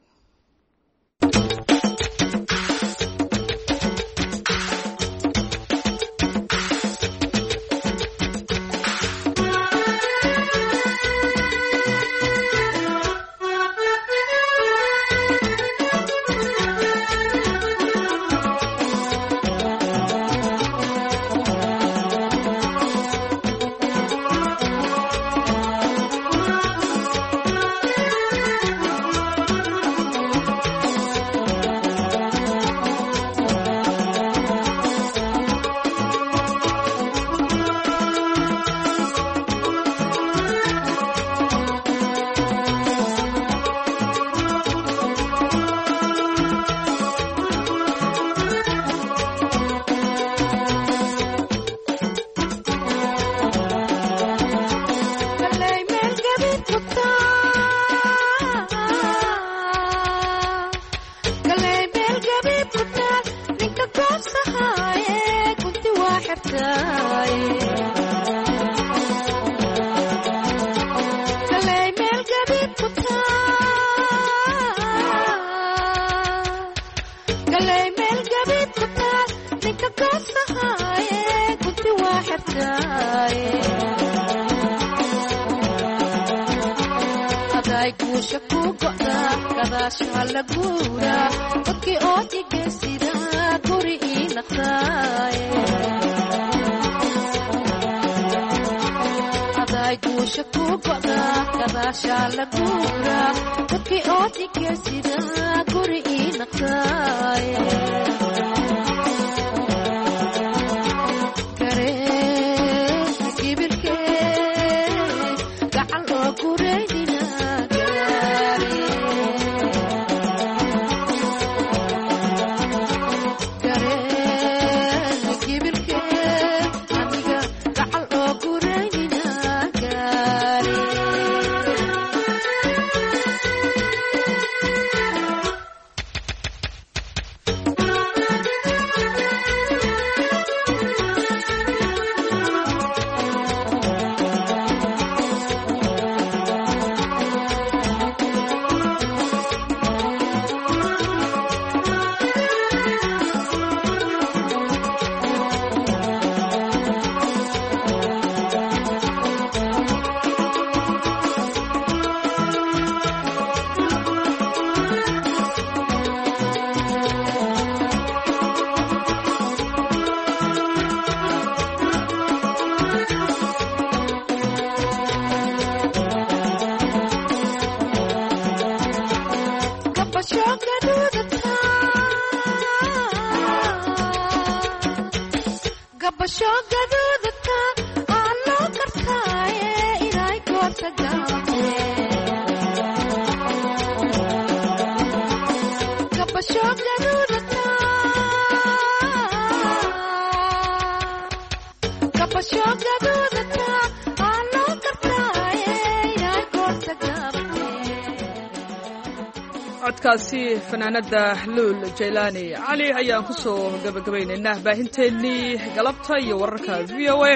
Codkaasi fanaanada Luul Jaylaani Cali ayaan ku soo gabagabaynaynaa baahinteennii galabta iyo wararka VOA.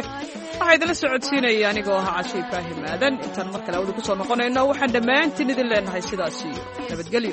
Waxaa idinla socodsiinaya anigoo ahaa Cashe Ibraahim Aadan. Intaan mar kale awda ku soo noqonayno, waxaan dhammaantiin idin leenahay sidaas iyo nabadgelyo.